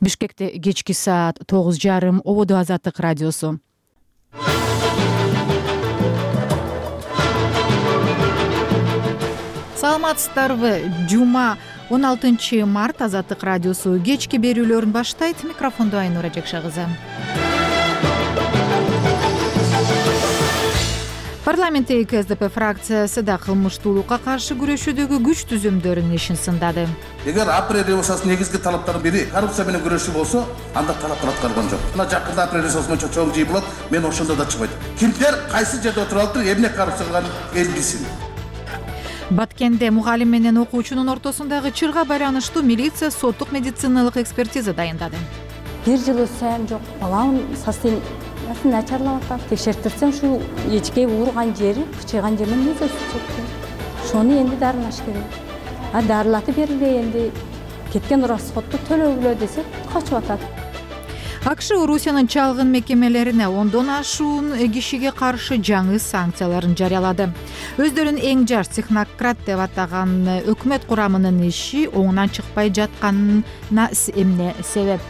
Бишкекте кечки саат 9:30 Ободо Азаттык радиосу. Саламатсыздарбы? Жума 16 март Азаттык радиосу кечки берүүлөрүн баштайт. Микрофондо Айнура Жекша кызы. Парламенттеги КСДП фракциясы да кылмыштуулукка каршы күрөшүүдөгү күч түзүмдөрүнүн ишин сындады. Эгер апрель революциясынын негизги талаптарынын бири коррупция менен күрөшүү болсо, анда талаптар аткарылган жок. Мына жакында апрель революциясы боюнча чоң жыйын болот, мен ошондо да чыгбайт. Кимдер кайсы жерде отуруп алыптыр, эмне коррупция кылганын эл билсин. Баткенде мугалим менен окуучунун ортосундагы чырга байланыштуу милиция соттук медициналык экспертиза дайындады. Бир жыл өтсөм жок, балам состояниеси начарлап атат. Текшертирсем ушу эчке ууруган жери, кычыйган жеринен өзү чыкты. Шону энди дарылаш керек. Дарылатып берилбей энди кеткен расходду төлөгүлө десе качып атат. АКШ Орусиянын чалгын мекемелерине 10дон ашуун кишиге каршы жаңы санкцияларын жарыялады. Өздөрүн эң жаш технократ деп атаган өкмөт курамынын иши оңунан чыкпай жатканына эмне себеп?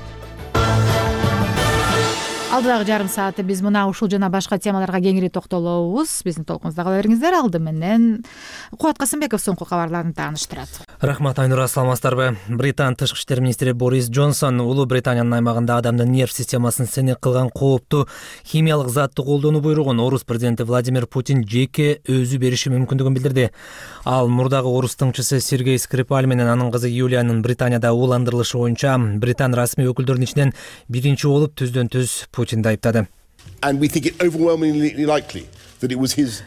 Алдыдагы жарым саатты биз мына ушул жана башка темаларга кеңири токтолобуз. Биздин толкунубузда кала бериңиздер. Алды менен Кубат Касымбеков соңку кабарларын тааныштырат. Рахмат, Айнура, саламатсыздарбы? Британ тышкы иштер министри Борис Джонсон Улуу Британиянын аймагында адамдын нерв системасын сынек кылган кооптуу химиялык затты колдонуу буйругун орус президенти Владимир Путин жеке өзү бериши мүмкүндүгүн билдирди. Ал мурдагы орус тыңчысы Сергей Скрипаль менен анын кызы Юлиянын Британияда ууландырылышы боюнча Британ расмий өкүлдөрүнүн ичинен биринчи болуп түздөн-түз Путинди айыптады.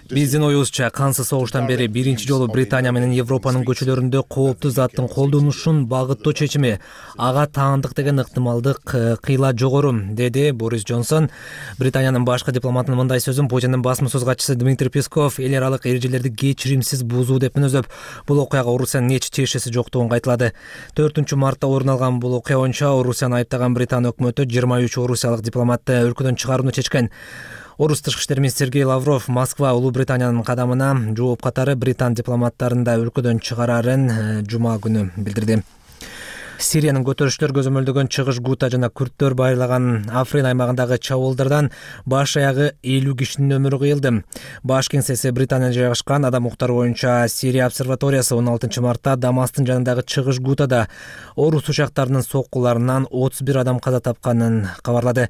Биздин оюбузча кансыз согуштан бери биринчи жолу Британия менен Европанын көчөлөрүндө кооптуу заттын колдонушун багыттоо чечими. Ага таандык деген ыктымалдык кыйла жогору, деди Борис Джонсон. Британиянын башкы дипломатынын мындай сөзүн Путиндин басма сөз катчысы Дмитрий Песков эл аралык эрежелерди кечиримсиз бузуу деп мүнөздөп, бул окуяга Орусиянын эч тиешеси жоктугун кайталады. 4 мартта орун алган бул окуя боюнча Орусияны айыптаган Британ өкмөтү 23 орусиялык дипломатты өлкөдөн чыгарууну чечкен. Орус тышкы иштер министри Сергей Лавров Москва Улуу Британиянын кадамына жооп катары Британ дипломаттарын да өлкөдөн чыгарарын жума күнү билдирди. Сириянын көтөрүшчүлөр көзөмөлдөгөн чыгыш Гута жана күрттөр байырлаган Африн аймагындагы чабуулдардан баш аягы 50 кишинин өмүрү кыйылды. Баш кеңсеси Британияда жайгашкан Адам укуктары боюнча Сирия обсерваториясы 16 мартта Дамастын жанындагы чыгыш Гутада орус учактарынын соккуларынан 31 адам каза тапканын кабарлады.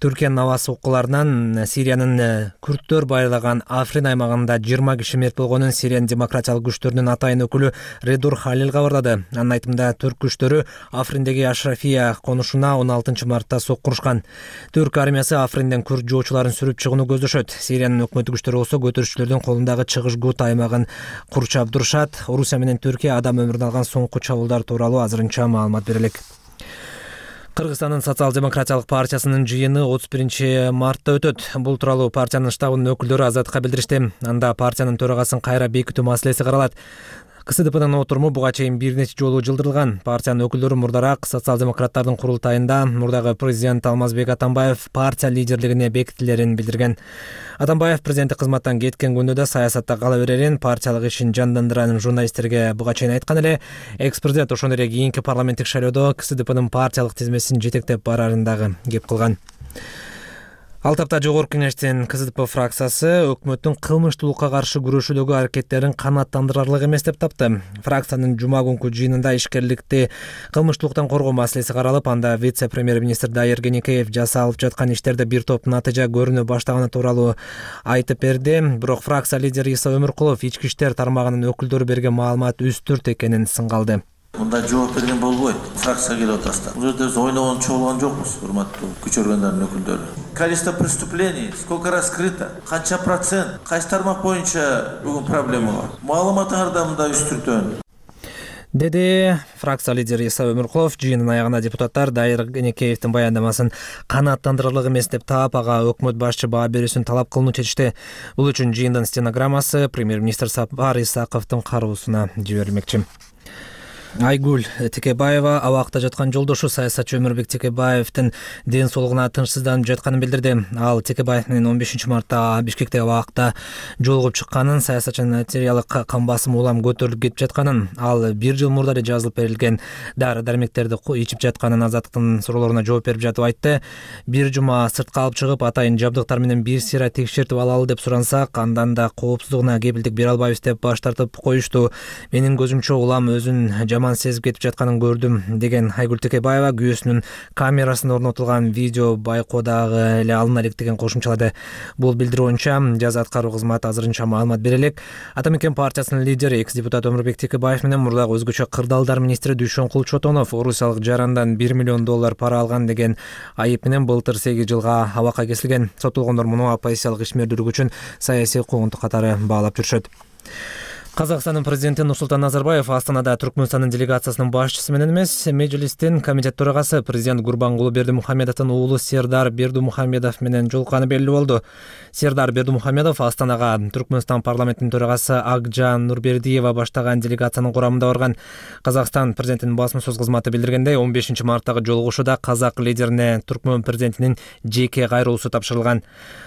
Түркиянын аба соккуларынан Сириянын күрттөр байырлаган Африн аймагында 20 киши мерт болгонун Сириянын демократиялык күчтөрүнүн атайын өкүлү Редур Халил кабарлады. Анын айтымында түрк күчтөрү Африндеги Ашрафия конушуна 16 мартта соккурушкан. Түрк армиясы Афринден күрд жоочуларын сүрүп чыгууну көздөшөт. Сириянын өкмөттүк күчтөрү болсо көтөрүшчүлөрдүн колундагы чыгыш Гута аймагын курчап турушат. Орусия менен Түркия адам өмүрүн алган соңку чабуулдар тууралуу азырынча маалымат бере элек. Кыргызстандын социал-демократиялык партиясынын жыйыны 31 мартта өтөт. Бул тууралуу партиянын штабынын өкүлдөрү Азаттыкка билдиришти. Анда партиянын төрагасын кайра бекитүү маселеси каралат. КСДПнын отуруму буга чейин бир нече жолу жылдырылган. Партиянын өкүлдөрү мурдараак социал-демократтардын курултайында мурдагы президент Алмазбек Атамбаев партия лидерлигине бекитилерин билдирген. Атамбаев президенттик кызматтан кеткен күндө да саясатта кала берерин, партиялык ишин жандандырарын журналисттерге буга чейин айткан эле. Экс-президент ошондой эле кийинки парламенттик шайлоодо КСДПнын партиялык тизмесин жетектеп барарын дагы кеп кылган. Ал тапта Жогорку Кеңештин КСДП фракциясы өкмөттүн кылмыштуулукка каршы күрөшүүдөгү аракеттерин канааттандырарлык эмес деп тапты. Фракциянын жума күнкү жыйынында ишкерликти кылмыштуулуктан коргоо маселеси каралып, анда вице-премьер-министр Дайыр Кенекеев жасалып жаткан иштерде бир топ натыйжа көрүнө баштаганы тууралуу айтып берди. Бирок фракция лидери Иса Өмүркулов ички иштер тармагынын өкүлдөрү берген маалымат үстүрт экенин сыңгалды. Мындай жооп берген болбойт. Фракция келип атасыздар. Бул жерде биз ойногончу болгон жокпуз, урматтуу күч органдарынын өкүлдөрү. Количество преступлений сколько раскрыто, канча процент, кайсы тармак боюнча бүгүн проблема бар. Маалыматыңарда мындай үстүртөн. Деди фракция лидери Иса Өмүркулов. Жыйындын аягында депутаттар Дайыр Кенекеевдин баяндамасын канааттандырарлык эмес деп таап, ага өкмөт башчы баа берүүсүн талап кылууну чечти. Бул үчүн жыйындын стенограммасы премьер-министр Сапар Исаковдун кароосуна жиберилмекчи. Айгүл Текебаева абакта жаткан жолдошу саясатчы Өмүрбек Текебаевдин ден соолугуна тынчсызданып жатканын билдирди. Ал Текебаев менен 15 мартта Бишкекте абакта жолугуп чыкканын, саясатчынын артериялык кан басымы улам көтөрүлүп кетип жатканын, ал 1 жыл мурда эле жазылып берилген дары-дармектерди ичип жатканын Азаттыктын суроолоруна жооп берип жатып айтты. Бир жума сыртка алып чыгып, атайын жабдыктар менен бир сыйра текшертип алалы деп сурансак, андан да коопсуздугуна кепилдик бере албайбыз деп баш тартып коюшту. Менин көзүмчө улам өзүн жаман сезип кетип жатканын көрдүм, деген Айгүл Текебаева күйөөсүнүн камерасына орнотулган видео байкоодагы эле алына элек деген кошумчалады. Бул билдирүү боюнча жаза аткаруу кызматы азырынча маалымат бере элек. Ата Мекен партиясынын лидери, экс-депутат Өмүрбек Текебаев менен мурдагы өзгөчө кырдаалдар министри Дүйшөнкул Чотонов орусиялык жарандан $1 миллион пара алган деген айып менен былтыр 8 жылга абакка кесилген. Соттолгондор муну оппозициялык ишмердүүлүк үчүн саясий куугунтук катары баалап жүрүшөт. Казакстандын президенти Нурсултан Назарбаев Астанада Түркмөнстандын делегациясынын башчысы менен эмес, Мejлистин комитет төрагасы президент Гурбангулы Бердимухамедовдун уулу Сердар Бердимухамедов менен жолукканы белгилүү болду. Сердар Бердимухамедов Астанага Түркмөнстан парламентинин төрагасы Акжан Нурбердиева баштаган делегациянын курамында барган. Казакстан президентинин басма-сөз кызматы билдиргендей, 15 марттагы жолугушууда казак лидерине Түркмөн президентинин жеке кайрылуусу тапшырылган.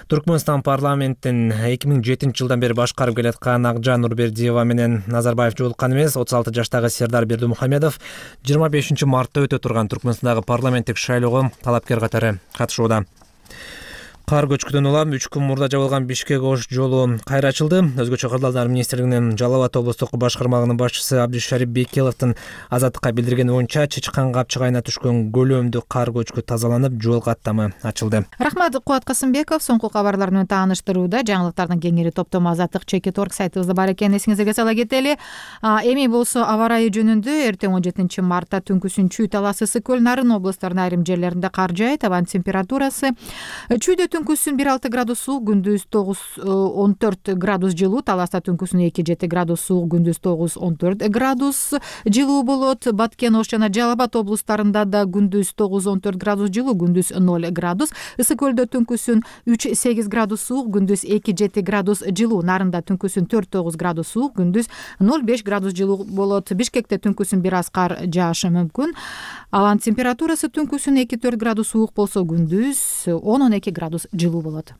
Түркмөнстан парламентин 2007 жылдан бери башкарып келаткан Акжан Нурбердиева менен Назарбаев жолуккан эмес. 36 жаштагы Сердар Бердимухамедов 25 мартта өтө турган Түркмөнстандагы парламенттик шайлоого талапкер катары катышууда. Кар көчкүдөн улам 3 күн мурда жабылган Бишкек-Ош жолу кайра ачылды. Өзгөчө кырдаалдар министрлигинин Жалал Абад облустук башкармагынын башчысы Абдишарип Бекеловдун Азаттыкка билдиргени боюнча, Чычкан Капчык айына түшкөн көлөмдүү кар көчкү тазаланып, жол каттамы ачылды. Рахмат, Кубат Касымбеков. Соңку кабарлар менен тааныштырууда жаңылыктардын кеңири топтому Азаттык.org сайтыбызда бар экен, эсиңиздерге сала кетели. Эми болсо аба ырайы жөнүндө эртең 17 мартта түнкүсүн Чүй, Талас, Ысык Көл, Нарын облустарынын айрым жерлеринде кар жаайт. Абанын температурасы Чүйдө түнкүсүн 1-6 градус суук, күндүз 9-14 градус жылуу, Таласта түнкүсүн 2-7 градус суук, күндүз 9-14 градус жылуу болот. Баткен, Ош жана Жалал Абад облустарында да күндүз 9-14 градус жылуу, күндүз 0 градус. Ысык Көлдө түнкүсүн 3-8 градус суук, күндүз 2-7 градус жылуу, Нарында түнкүсүн 4-9 градус суук, күндүз 0-5 градус жылуу болот. Бишкекте түнкүсүн бир аз кар жаашы мүмкүн. Аванын температурасы түнкүсүн 2-4 градус суук болсо, күндүз 10-12 градус жылуу болот.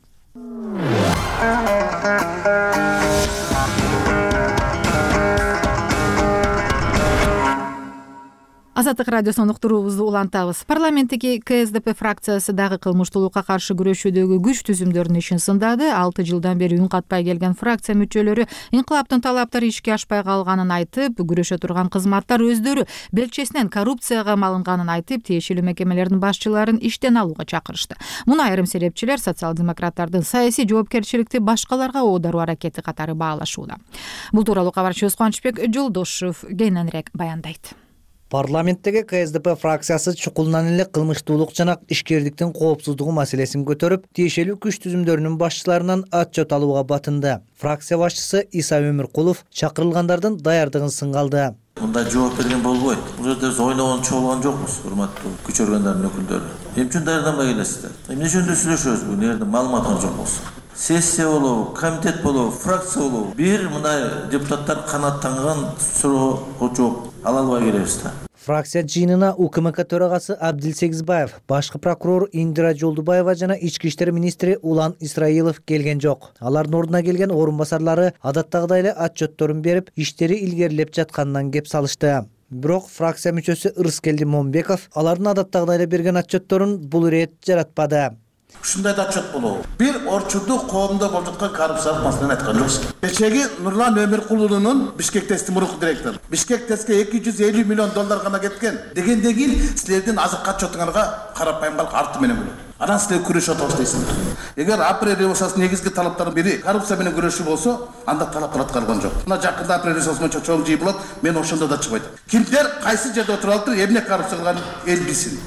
Азаттык радиосунун уктуруубузду улантабыз. Парламенттеги КСДП фракциясы дагы кылмыштуулукка каршы күрөшүүдөгү күч түзүмдөрүнүн ишин сындады. 6 жылдан бери үн катпай келген фракция мүчөлөрү инкылаптын талаптары ишке ашпай калганын айтып, күрөшө турган кызматтар өздөрү белчесинен коррупцияга малынганын айтып, тиешелүү мекемелердин башчыларын иштен алууга чакырышты. Муну айрым серепчилер социал-демократтардын саясий жоопкерчиликти башкаларга оодаруу аракети катары баалашууда. Бул тууралуу кабарчыбыз Кубанычбек Жолдошов кененирээк баяндайт. Парламенттеги КСДП фракциясы чукулунан эле кылмыштуулук жана ишкердиктин коопсуздугу маселесин көтөрүп, тиешелүү күч түзүмдөрүнүн башчыларынан отчет алууга батынды. Фракция башчысы Иса Өмүркулов чакырылгандардын даярдыгын сынгалды. Мындай жооп берген болбойт. Бул жерде биз ойногон чогулган жокпуз, урматтуу күч органдарынын өкүлдөрү. Эмне үчүн даярданбай келесиздер? Эмне үчүн сүйлөшөбүз? Бул жерде маалымат жок болсо. Сессия болобу, комитет болобу, фракция болобу, бир мындай депутаттар канааттанган суроого жооп ала албай келебиз да. Фракция жыйынына УКМК төрагасы Абдил Сегизбаев, башкы прокурор Индира Жолдубаева жана ички иштер министри Улан Исраилов келген жок. Алардын ордуна келген орун басарлары адаттагыдай эле отчетторун берип, иштери илгерилеп жатканынан кеп салышты. Бирок фракция мүчөсү Ырыскелди Момбеков алардын адаттагыдай эле берген отчетторун бул ирет жаратпады. Ушундай да отчет болобу? Бир орчундук коомдо болуп жаткан коррупциялык маселени айткан жоксуз. Кечеги Нурлан Өмүркулунун Бишкек ТЭСтин мурунку директору. Бишкек ТЭСке $250 миллион гана кеткен. Дегенден кийин силердин азыкка отчетуңарга карапайым калк арты менен болот. Анан силер күрөшүп атабыз. Эгер апрель революциясынын негизги талаптарынын бири коррупция менен күрөшүү болсо, анда талаптар аткарылган жок. Мына жакында апрель революциясы боюнча чоң жыйын болот, мен ошондо да чыгып айттым. Кимдер кайсы жерде отуруп алыптыр, эмне коррупция кылганын эл билсин.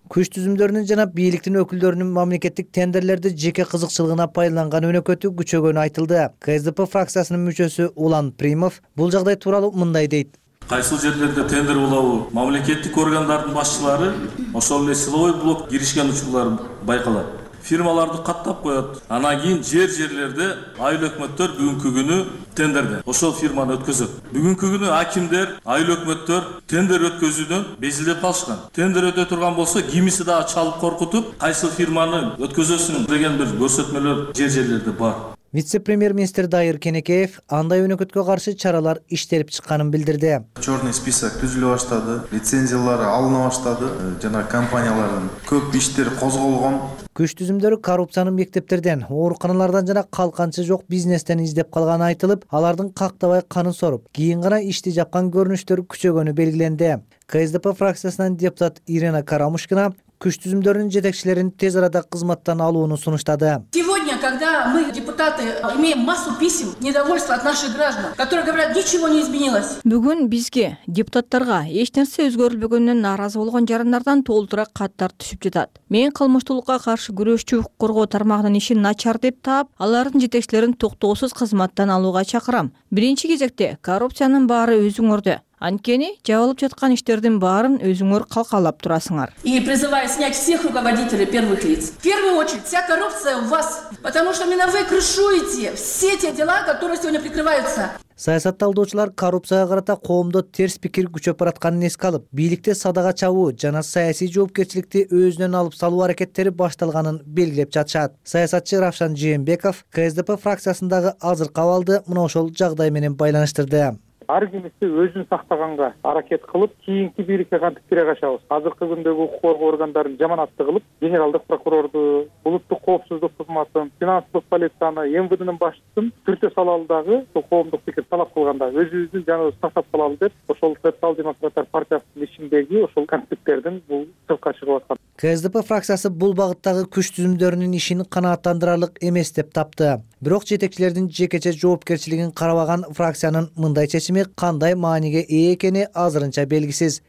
Күч түзүмдөрүнүн жана бийликтин өкүлдөрүнүн мамлекеттик тендерлерди жеке кызыкчылыгына пайдаланган өнөкөтү күчөгөнү айтылды. КСДП фракциясынын мүчөсү Улан Примов бул жагдай тууралуу мындай дейт. Кайсыл жерлерде тендер болобу, мамлекеттик органдардын башчылары ошол эле силовой блок киришкен учурлар байкалат. фирмаларды каттап коет. Анан кийин жерлерде айыл өкмөттөр бүгүнкү күнү тендерде ошол фирманы өткөзөт. Бүгүнкү күнү акимдер, айыл өкмөттөр тендер өткөзүүдөн безилип калышкан. Тендер өтө турган болсо кимиси дагы чалып коркутуп, кайсы фирманы өткөзөсүң деген бир көрсөтмөлөр жерлерде бар. Вице-премьер-министр Дайыр Кенекеев андай өнөкөткө каршы чаралар иштелип чыкканын билдирди. Чорный список түзүлө баштады, лицензиялары алына баштады, жана компаниялардын көп иштери козголгон. Күч түзүмдөрү коррупциянын мектептерден, ооруканалардан жана калканчы жок бизнестен издеп калганы айтылып, алардын кактабай канын соруп, кийин гана ишти жапкан көрүнүштөр күчөгөнү белгиленди. КСДП фракциясынан депутат Ирина Карамушкина күч түзүмдөрүнүн жетекчилерин тез арада кызматтан алууну сунуштады. Сегодня, когда мы, депутаты, имеем массу писем недовольства от наших граждан, которые говорят, ничего не изменилось. Бүгүн бизге, депутаттарга эч нерсе өзгөрүлбөгөнүнөн нааразы болгон жарандардан толтура каттар түшүп жатат. Мен кылмыштуулукка каршы күрөшчү укук коргоо тармагынын ишин начар деп таап, алардын жетекчилерин токтоосуз кызматтан алууга чакырам. Биринчи кезекте коррупциянын баары өзүңөрдө. Анткени жабылып жаткан иштердин баарын өзүңөр калкалап турасыңар. И призываю снять всех руководителей первых лиц. В первую очередь, вся коррупция у вас, потому что именно вы крышуете все те дела, которые сегодня прикрываются. Саясатталдоочулар коррупцияга карата коомдо терс пикир күчөп баратканын эске алып, бийликте садага чабуу жана саясий жоопкерчиликти өзүнөн алып салуу аракеттери башталганын белгилеп жатышат. Саясатчы Равшан Жээнбеков КСДП фракциясындагы азыркы абалды мына ошол жагдай менен байланыштырды. Ар кимиси өзүн сактаганга аракет кылып, кийинки бийликке кантип кире качабыз. Азыркы күндөгү укук коргоо органдарын жаманатты кылып, генералдык прокурорду, улуттук коопсуздук кызматын, финансылык полицияны, МВДнын башчысын түртө салалы дагы коомдук пикир талап кылганда өзүбүздүн жаныбызды сактап калалы деп, ошол социал-демократтар партиясынын ишиндеги ошол конфликттердин бул сыртка чыгып аткан. КСДП фракциясы бул багыттагы күч түзүмдөрүнүн ишин канааттандырарлык эмес деп тапты. Бирок жетекчилердин жекече жоопкерчилигин карабаган фракциянын мындай чечими кандай мааниге ээ экени азырынча белгисиз.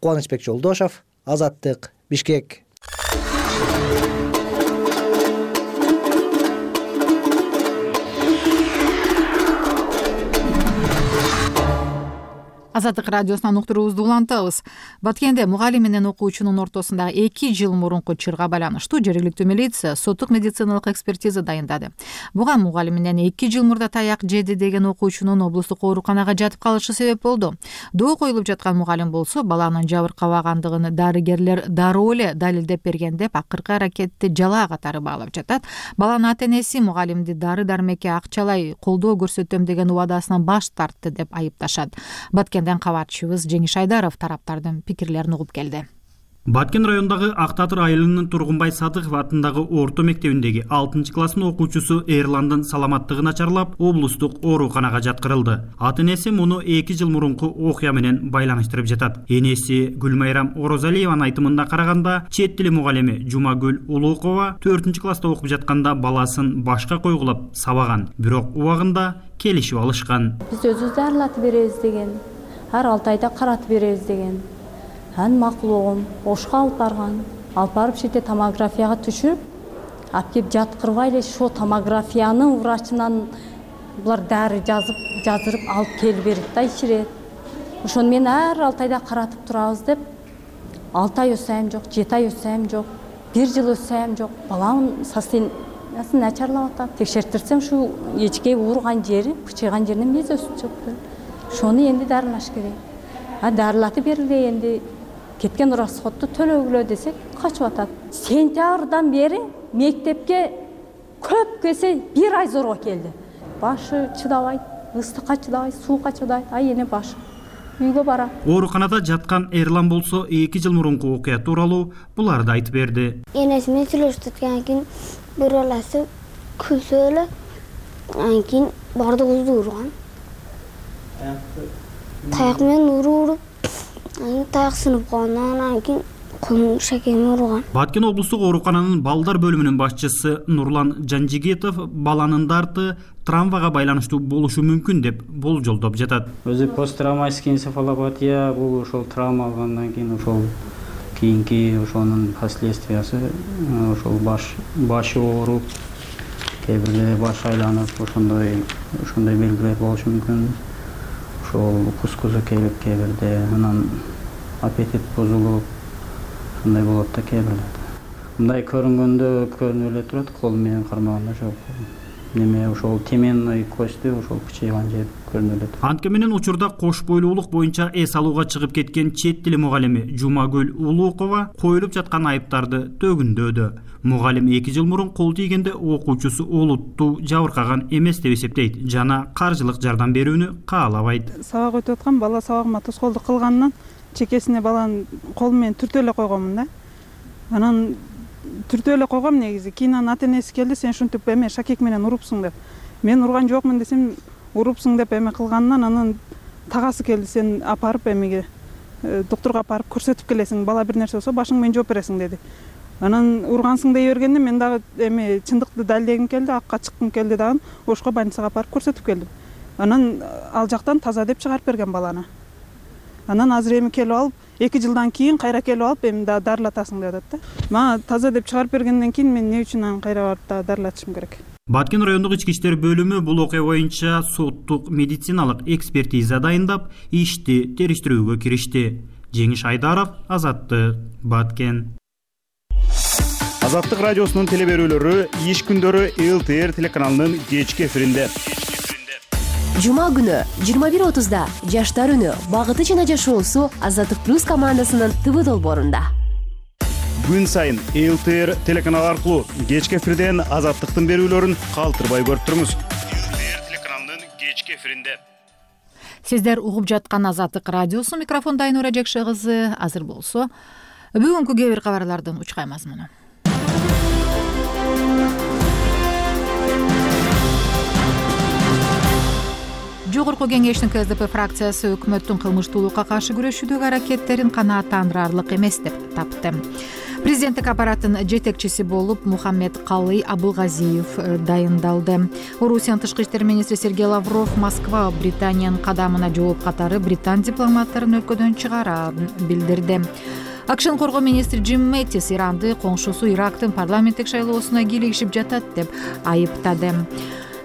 Кубанычбек Жолдошов, Азаттык, Бишкек. Азаттык радиосунан уктуруубузду улантабыз. Баткенде мугалим менен окуучунун ортосундагы 2 жыл мурунку чырга байланыштуу жергиликтүү милиция соттук медициналык экспертиза дайындады. Буга мугалим менен 2 жыл мурда таяк жеди деген окуучунун облустук ооруканага жатып калышы себеп болду. Доо коюлуп жаткан мугалим болсо баланын жабыркабагандыгын дарыгерлер дароо эле далилдеп берген деп акыркы аракетти жалаа катары баалап жатат. Баланын ата-энеси мугалимди дары дармекке акчалай колдоо көрсөтөм деген убадасынан баш тартты деп айыпташат. Кабарчыбыз Жеңиш Айдаров тараптардын пикирлерин угуп келди. Баткен районундагы Ак Татыр айылынын Тургунбай Садыков атындагы орто мектебиндеги 6 класстын окуучусу Эрландын саламаттыгы начарлап, облустук ооруканага жаткырылды. Ата-энеси муну 2 жыл мурунку окуя менен байланыштырып жатат. Энеси Гүлмайрам Орозалиеванын айтымында караганда, чет тили мугалими Жумагүл Улукова 4 класста окуп жатканда баласын башка койгулап сабаган. Бирок убагында келишип алышкан. Биз өзүбүз дарылатып беребиз деген, ар 6 айда каратып беребиз деген. Ан макулугум ошко алып барган. Алып барып шете томографияга түшүрүп, алып кеп жаткырбай эле ошо томографиянын врачынан булар дары жазырып алып келип берет да ичирет. Ошону мен ар 6 айда каратып турабыз деп 6 ай өтсөм жок, 7 ай өтсөм жок, 1 жыл өтсөм жок. Баланын состояниясы начарлап атат. Текшертирсем ушу эчке ууруган жери, бычыйган жеринен мез өсүп чыкты. Ошону энди дарылаш керек. Дарылатып берилди, энди кеткен расходду төлөгүлө десек качып атат. Сентябрдан бери мектепке көп кесе 1 ай зорго келди. Башы чыдабайт, ыстыкка чыдабайт, суукка чыдабайт. Ай эне башы үйгө барат. Ооруканада жаткан Эрлан болсо 2 жыл мурунку окуя тууралуу буларды айтып берди. Энеси менен сүйлөшүп аткандан кийин бир баласы күлсө эле, андан кийин бардыгыбызды урган. Таяк менен уруп, таяк сынып калган, андан кийин колум шекеми урган. Баткен облустук оорукананын балдар бөлүмүнүн башчысы Нурлан Жанжигитов баланын дарты травмага байланыштуу болушу мүмкүн деп болжолдоп жатат. Өзү посттравматический энцефалопатия бул ошол травма алгандан кийин ошол кийинки ошонун последствиясы ошол башы ооруп, кээ бирде баш айланып, ошондой белгилер болушу мүмкүн. Ошол кускузу келип кээ бирде анан аппетит бузулуп, андай болот да кээ бирде. мындай көрүнгөндө көрүнүп эле турат, кол менен кармаганда жок. Неме ошол теменный кости ошол кычайган жер көрүнүп эле турат. Антке менен учурда кош бойлуулук боюнча эс алууга чыгып кеткен чет тили мугалими Жумагүл Улукова коюлуп жаткан айыптарды төгүндөдү. Мугалим 2 жыл мурун кол тийгенде окуучусу олуттуу жабыркаган эмес деп эсептейт жана каржылык жардам берүүнү каалабайт. Сабак өтүп аткан бала сабагыма тоскоолдук кылганынан чекесине баланын колу менен түртүп эле койгонмун да. Анан түртүп эле койгом негизи. Кийин анын ата энеси келди, сен ушинтип эме шакек менен урупсуң деп. Мен урган жокмун десем, урупсуң деп эме кылганынан анан тагасы келди, сен апарып эмеге доктурга апарып көрсөтүп келесиң, бала бир нерсе болсо башың менен жооп бересиң деди. Анан ургансың дей бергенде мен дагы эме чындыкты далилдегим келди, акка чыккым келди дагы, ошко больницага апарып көрсөтүп келдим. Анан ал жактан таза деп чыгарып берген баланы. Анан азыр эми келип алып 2 жылдан кийин кайра келип алып эми да дарылатасың деп атат да. Мага таза деп чыгарып бергенден кийин мен эмне үчүн аны кайра барып да дарылатышым керек? Баткен райондук ички иштер бөлүмү бул окуя боюнча соттук медициналык экспертиза дайындап, ишти териштирүүгө киришти. Жеңиш Айдаров, Азаттык, Баткен. Азаттык радиосунун телеберүүлөрү иш күндөрү ЛТР телеканалынын кечки эфиринде. Жума күнү 21:30да Жаштар үнү багыты жана жашоосу Азаттык плюс командасынын ТВ долбоорунда. Күн сайын ЛТР телеканалы аркылуу кечки эфирден Азаттыктын берүүлөрүн калтырбай көрүп туруңуз. ЛТР телеканалынын кечки эфиринде. Сиздер угуп жаткан Азаттык радиосу, микрофонда Айнура Жекше кызы. Азыр болсо бүгүнкү кээ бир кабарлардын учкай мазмуну. Жогорку кеңештин КСДП фракциясы өкмөттүн кылмыштуулукка каршы күрөшүүдөгү аракеттерин канааттандырарлык эмес деп тапты. Президенттик аппараттын жетекчиси болуп Мухаммед Калый Абылгазиев дайындалды. Орусиянын тышкы иштер министри Сергей Лавров Москва Британиянын кадамына жооп катары британ дипломаттарын өлкөдөн чыгарарын билдирди. АКШнын коргоо министри Джим Мэттис Иранды коңшусу Ирактын парламенттик шайлоосуна кийлигишип жатат деп айыптады.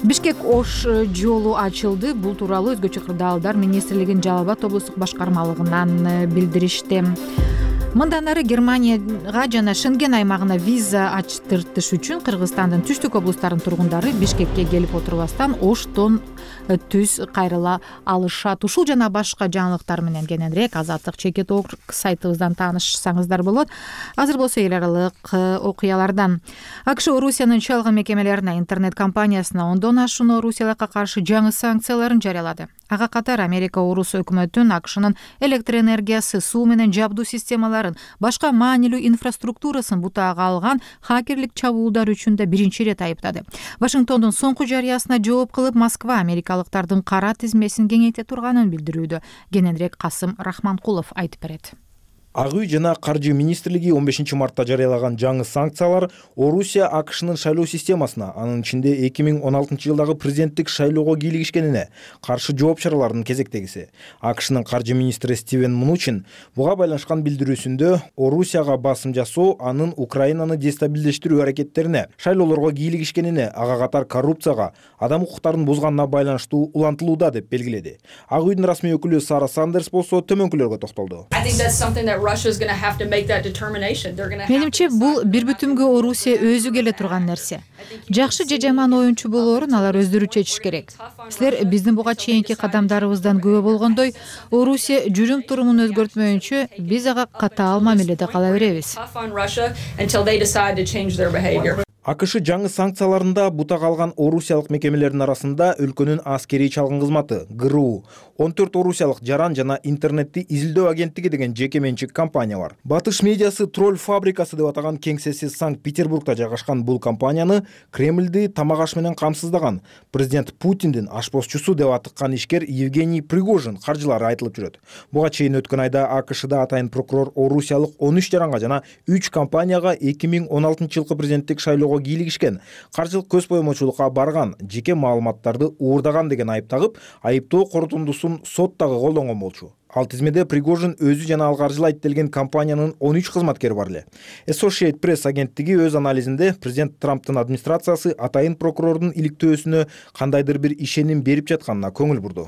Бишкек Ош жолу ачылды. Бул тууралуу Өзгөчө кырдаалдар министрлигинин Жалал Абад облустук башкармалыгынан билдиришти. Мындан ары Германияга жана Шенген аймагына виза ачтыртыш үчүн Кыргызстандын түштүк облустарынын тургундары Бишкекке келип отурбастан Оштон түз кайрыла алышат. Ушул жана башка жаңылыктар менен кененирээк Азаттык чекит сайтыбыздан таанышсаңыздар болот. Азыр болсо эл аралык окуялардан. АКШ Орусиянын чалгын мекемелерине, интернет компаниясына ондон ашуун Орусиялыкка каршы жаңы санкцияларын жарыялады. Ага катар Америка Орус өкмөтүн АКШнын электр энергиясы, суу менен жабдуу системаларын, башка маанилүү инфраструктурасын бутаага алган хакерлик чабуулдар үчүн да биринчи ирет айыптады. Вашингтондун соңку жарыясына жооп кылып, Москва америкалыктардын кара тизмесин кеңейте турганын билдирүүдө. Кененирээк Касым Рахманкулов айтып берет. Ак үй жана каржы министрлиги 15 мартта жарыялаган жаңы санкциялар Орусия АКШнын шайлоо системасына, анын ичинде 2016 жылдагы президенттик шайлоого кийлигишкенине каршы жооп чараларынын кезектегиси. АКШнын каржы министри Стивен Мнучин буга байланышкан билдирүүсүндө Орусияга басым жасоо анын Украинаны дестабилдештирүү аракеттерине, шайлоолорго кийлигишкенине, ага катар коррупцияга, адам укуктарын бузганына байланыштуу улантылууда деп белгиледи. Ак үйдүн расмий өкүлү Сара Сандерс болсо төмөнкүлөргө токтолду. Менимче бул бир бүтүмгө Орусия өзү келе турган нерсе. Жакшы же жаман оюнчу болоорун алар өздөрү чечиш керек. Силер биздин буга чейинки кадамдарыбыздан күбө болгондой, Орусия жүрүм турумун өзгөртмөйүнчө биз ага катаал мамиледе кала беребиз. АКШ жаңы санкцияларында бутага алган орусиялык мекемелердин арасында өлкөнүн аскерий чалгын кызматы ГРУ, 14 орусиялык жаран жана интернетти изилдөө агенттиги деген жеке менчик компания бар. Батыш медиасы Тролль фабрикасы деп атаган кеңсеси Санкт-Петербургда жайгашкан бул компанияны Кремльди тамак аш менен камсыздаган президент Путиндин ашпозчусу деп атыккан ишкер Евгений Пригожин каржылары айтылып жүрөт. Буга чейин өткөн айда АКШда атайын прокурор орусиялык 13 жаранга жана 3 компанияга 2016 жылкы президенттик шайлоого кийлигишкен, каржылык көз боемочулукка барган, жеке маалыматтарды уурдаган деген айып тагып, айыптоо корутундусун сот дагы колдонгон болчу. Ал тизмеде Пригожин өзү жана ал каржылайт делген компаниянын 13 кызматкери бар эле. Associated Press агенттиги өз анализинде президент Трамптын администрациясы атайын прокурордун иликтөөсүнө кандайдыр бир ишеним берип жатканына көңүл бурду.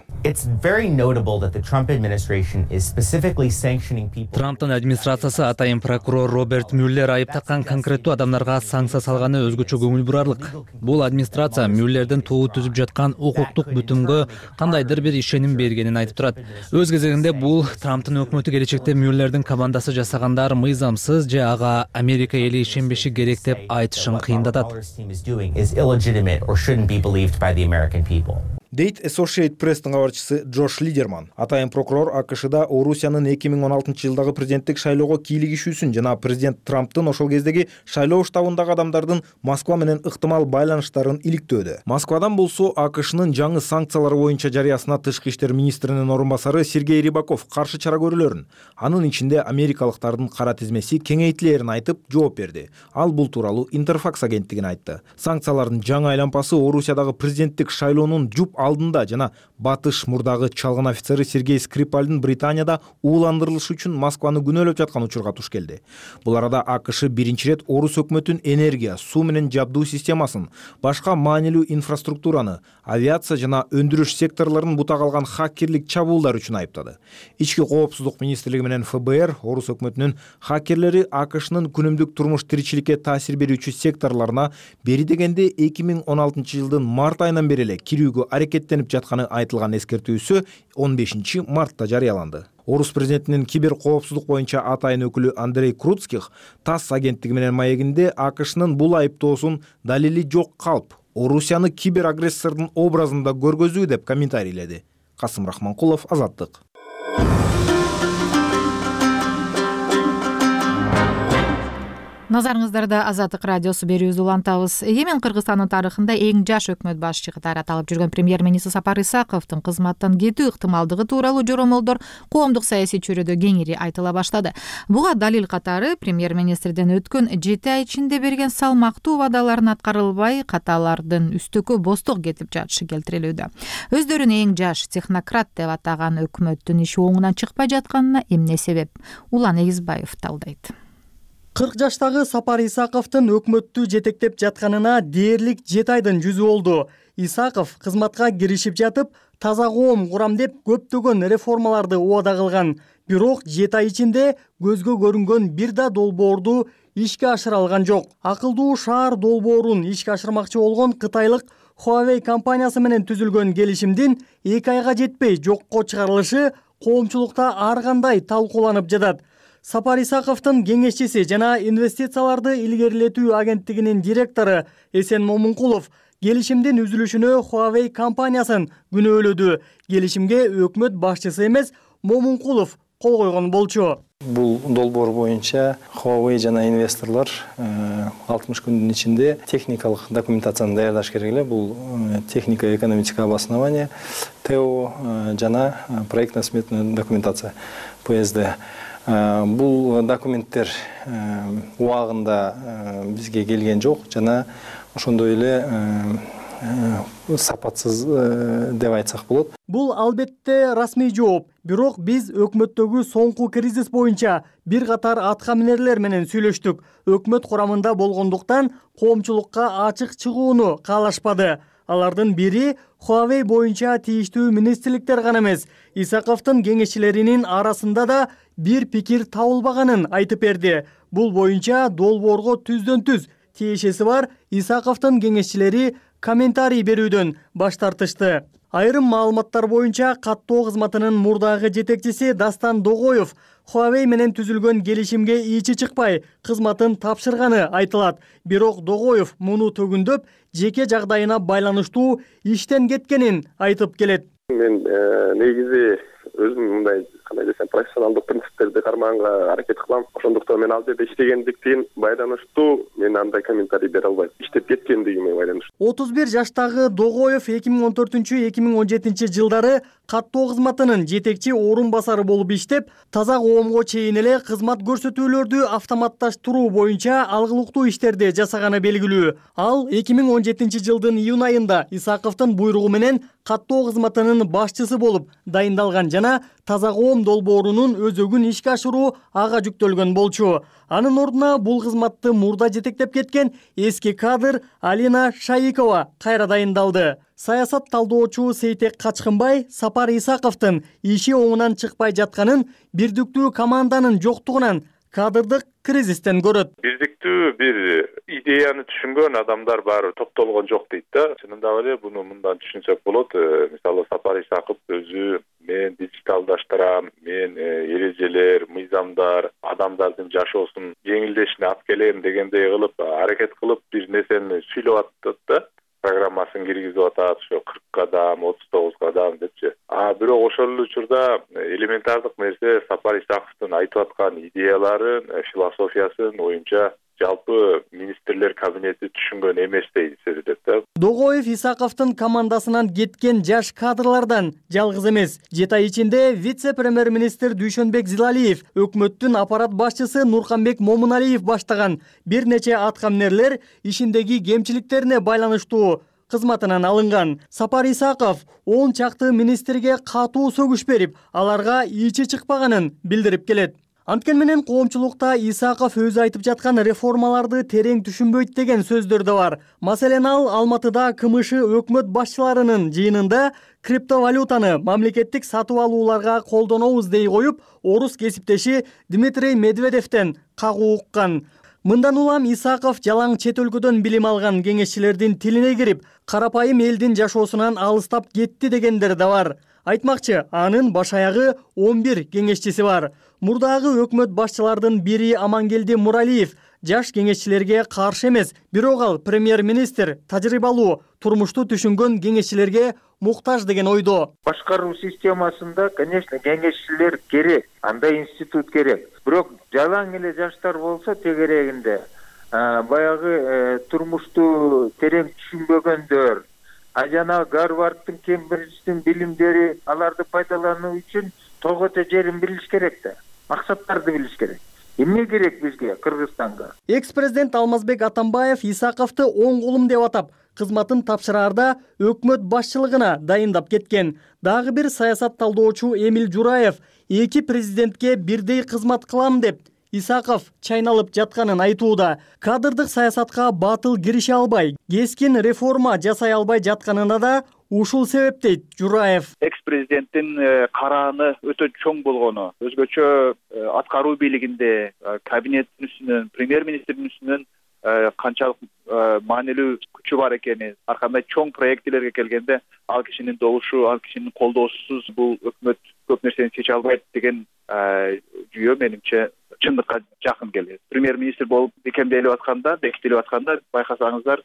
Трамптын администрациясы атайын прокурор Роберт Мюллер айыптакан конкреттүү адамдарга санкция салганы өзгөчө көңүл бурарлык. Бул администрация Мюллердин тобу түзүп жаткан укуктук бүтүнгө кандайдыр бир ишеним бергенин айтып турат. Өз кезегинде бул Трамптын өкмөтү келечекте Мюллердин командасы жасагандар мыйзамсыз же ага Америка эли ишенбеши керек деп айтышын кыйындатат. Дейт Associated Press'тин кабарчысы Джош Лидерман. Атайын прокурор АКШда Орусиянын 2016 жылдагы президенттик шайлоого кийлигишүүсүн жана президент Трамптын ошол кездеги шайлоо штабындагы адамдардын Москва менен ыктымал байланыштарын иликтөөдө. Москвадан болсо АКШнын жаңы санкциялары боюнча жарыясына тышкы иштер министринин орун басары Сергей Рыбаков каршы чара көрүүлөрүн, анын ичинде америкалыктардын кара тизмеси кеңейтилерин айтып жооп берди. Ал бул тууралуу Интерфакс агенттигине айтты. Санкциялардын жаңы айланпасы Орусиядагы президенттик шайлоонун жуп алдында жана батыш мурдагы чалгын офицери Сергей Скрипальдын Британияда ууландырылышы үчүн Москваны күнөөлөп жаткан учурга туш келди. Бул арада АКШ биринчи ирет Орус өкмөтүн энергия, суу менен жабдуу системасын, башка маанилүү инфраструктураны, авиация жана өндүрүш секторлорун бута калган хакерлик чабуулдар үчүн айыптады. Ички коопсуздук министрлиги менен ФБР Орус өкмөтүнүн хакерлери АКШнын күнүмдүк турмуш тиричиликке таасир берүүчү секторлоруна бери дегенде 2016 жылдын март айынан бери эле кирүүгө аракеттенип жатканы айтылган эскертүүсү 15 мартта жарыяланды. Орус президентинин кибер коопсуздук боюнча атайын өкүлү Андрей Круцких ТАСС агенттиги менен маегинде АКШнын бул айыптоосун далили жок калп, Орусияны кибер агрессордун образында көргөзүү деп комментарийледи. Касым Рахманкулов, Азаттык. Назарыңыздарда Азаттык радиосу берүүбүздү улантабыз. Егемен Кыргызстандын тарыхында эң жаш өкмөт башчы катары аталып жүргөн премьер-министр Сапар Исаковдун кызматтан кетүү ыктымалдыгы тууралуу жоромолдор коомдук саясий чөйрөдө кеңири айтыла баштады. Буга далил катары премьер-министрден өткөн 7 ай ичинде берген салмактуу убадаларын аткарылбай, каталардын үстөккө бостук кетип жатышы келтирилүүдө. Өздөрүн эң жаш технократ деп атаган өкмөттүн иши оңунан чыкпай жатканына эмне себеп? Улан Эгизбаев талдайт. 40 жаштагы Сапар Исаковдун өкмөттү жетектеп жатканына дээрлик 7 айдын жүзү болду. Исаков кызматка киришип жатып, таза коом курам деп көптөгөн реформаларды убада кылган. Бирок 7 ай ичинде көзгө көрүнгөн бир да долбоорду ишке ашыра алган жок. Акылдуу шаар долбоорун ишке ашырмакчы болгон кытайлык Huawei компаниясы менен түзүлгөн келишимдин 2 айга жетпей жокко чыгарылышы коомчулукта ар кандай талкууланып жатат. Сапар Исаковдун кеңешчиси жана инвестицияларды илгерилетүү агенттигинин директору Эсен Момункулов келишимдин үзүлүшүнө Huawei компаниясын күнөөлөдү. Келишимге өкмөт башчысы эмес, Момункулов кол койгон болчу. Бул долбоор боюнча Huawei жана инвесторлор 60 күндүн ичинде техникалык документацияны даярдаш керек эле. Бул технико-экономическое обоснование, ТО жана проектно-сметная документация, ПСД. Бул документтер убагында бизге келген жок жана ошондой эле сапатсыз деп айтсак болот. Бул албетте расмий жооп. Бирок биз өкмөттөгү соңку кризис боюнча бир катар аткаминерлер менен сүйлөштүк. Өкмөт курамында болгондуктан коомчулукка ачык чыгууну каалашпады. Алардын бири Huawei боюнча тийиштүү министрликтер гана эмес, Исаковдун кеңешчилеринин арасында да бир пикир табылбаганын айтып берди. Бул боюнча долбоорго түздөн-түз тиешеси бар Исаковдун кеңешчилери комментарий берүүдөн баш тартышты. Айрым маалыматтар боюнча каттоо кызматынын мурдагы жетекчиси Дастан Догоев Huawei менен түзүлгөн келишимге ичи чыкпай кызматын тапшырганы айтылат. Бирок Догоев муну төгүндөп, жеке жагдайына байланыштуу иштен кеткенин айтып келет. Мен негизи өзүм мындай кандай десем профессионалдык принциптерди кармаганга аракет кылам. Ошондуктан мен ал жерде иштегендиктен байланыштуу мен андай комментарий бере албайм. Иштеп кеткендигиме байланыштуу. 31 жаштагы Догоев 2014-2017 жылдары каттоо кызматынын жетекчи орун басары болуп иштеп, таза коомго чейин эле кызмат көрсөтүүлөрдү автоматташтыруу боюнча алгылыктуу иштерди жасаганы белгилүү. Ал 2017 жылдын июнь айында Исаковдун буйругу менен каттоо кызматынын башчысы болуп дайындалган жана таза коом долбоорунун өзөгүн ишке ашыруу ага жүктөлгөн болчу. Анын ордуна бул кызматты мурда жетектеп кеткен эски кадр Алина Шаикова кайра дайындалды. Саясат талдоочу Сейтек Качкынбай Сапар Исаковдун иши оңунан чыкпай жатканын бирдиктүү команданын жоктугунан кадрдык кризистен көрөт. Бирдиктүү бир идеяны түшүнгөн адамдар баары топтолгон жок дейт да. Чынында эле буну мындан түшүнсөк болот. Мисалы Сапар Исаков өзү мен диджиталдаштырам, мен эрежелер, мыйзамдар, адамдардын жашоосун жеңилдешине алып келем дегендей кылып аракет кылып бир нерсени сүйлөп атат да. Программасын киргизип атат, ошо 40 кадам, 39 кадам депчи. Бирок ошол эле учурда элементардык нерсе Сапар Исаковдун айтып аткан идеяларын, философиясын оюнча жалпы министрлер кабинети түшүнгөн эместей сезилет да. Догоев Исаковдун командасынан кеткен жаш кадрлардан жалгыз эмес. 7 ай ичинде вице-премьер-министр Дүйшөнбек Зилалиев, өкмөттүн аппарат башчысы Нурканбек Момуналиев баштаган бир нече аткаминерлер ишиндеги кемчиликтерине байланыштуу кызматынан алынган. Сапар Исаков 10 чакты министрге катуу сөгүш берип, аларга ичи чыкпаганын билдирип келет. Анткени менен коомчулукта Исаков өзү айтып жаткан реформаларды терең түшүнбөйт деген сөздөр да бар. Маселен, ал Алматыда КМШ өкмөт башчыларынын жыйынында криптовалютаны мамлекеттик сатып алууларга колдонобуз дей коюп, орус кесиптеши Дмитрий Медведевден кагуу уккан. Мындан улам Исаков жалаң чет өлкөдөн билим алган кеңешчилердин тилине кирип, карапайым элдин жашоосунан алыстап кетти дегендер да бар. Айтмакчы, анын баш аягы 11 кеңешчиси бар. Мурдагы өкмөт башчылардын бири Амангелди Муралиев жаш кеңешчилерге каршы эмес, бирок ал премьер-министр тажрыйбалуу, турмушту түшүнгөн кеңешчилерге муктаж деген ойдо. Башкаруу системасында, конечно, кеңешчилер керек, андай институт керек. Бирок жалаң эле жаштар болсо тегерегинде баягы турмушту терең түшүнбөгөндөр, жана Гарвардтын, Кембридждин билимдери аларды пайдалануу үчүн тогото жерин билиш керек да. Максаттарды билиш керек. Эмне керек бизге, Кыргызстанга? Экс-президент Алмазбек Атамбаев Исаковду оң колум деп атап, кызматын тапшыраарда өкмөт башчылыгына дайындап кеткен. Дагы бир саясат талдоочу Эмил Жураев эки президентке бирдей кызмат кылам деп Исаков чайналып жатканын айтууда. Кадрдык саясатка батыл кирише албай, кескин реформа жасай албай жатканына да ушул себеп дейт Жураев. Экс-президенттин карааны өтө чоң болгону, өзгөчө аткаруу бийлигинде кабинеттин үстүнөн, премьер-министрдин үстүнөн канчалык маанилүү күчү бар экени, ар кандай чоң проектилерге келгенде ал кишинин добушу, ал кишинин колдоосусуз бул өкмөт көп нерсени чече албайт деген жүйө менимче чындыкка жакын келет. Премьер-министр болуп бекемделип атканда, бекитилип атканда байкасаңыздар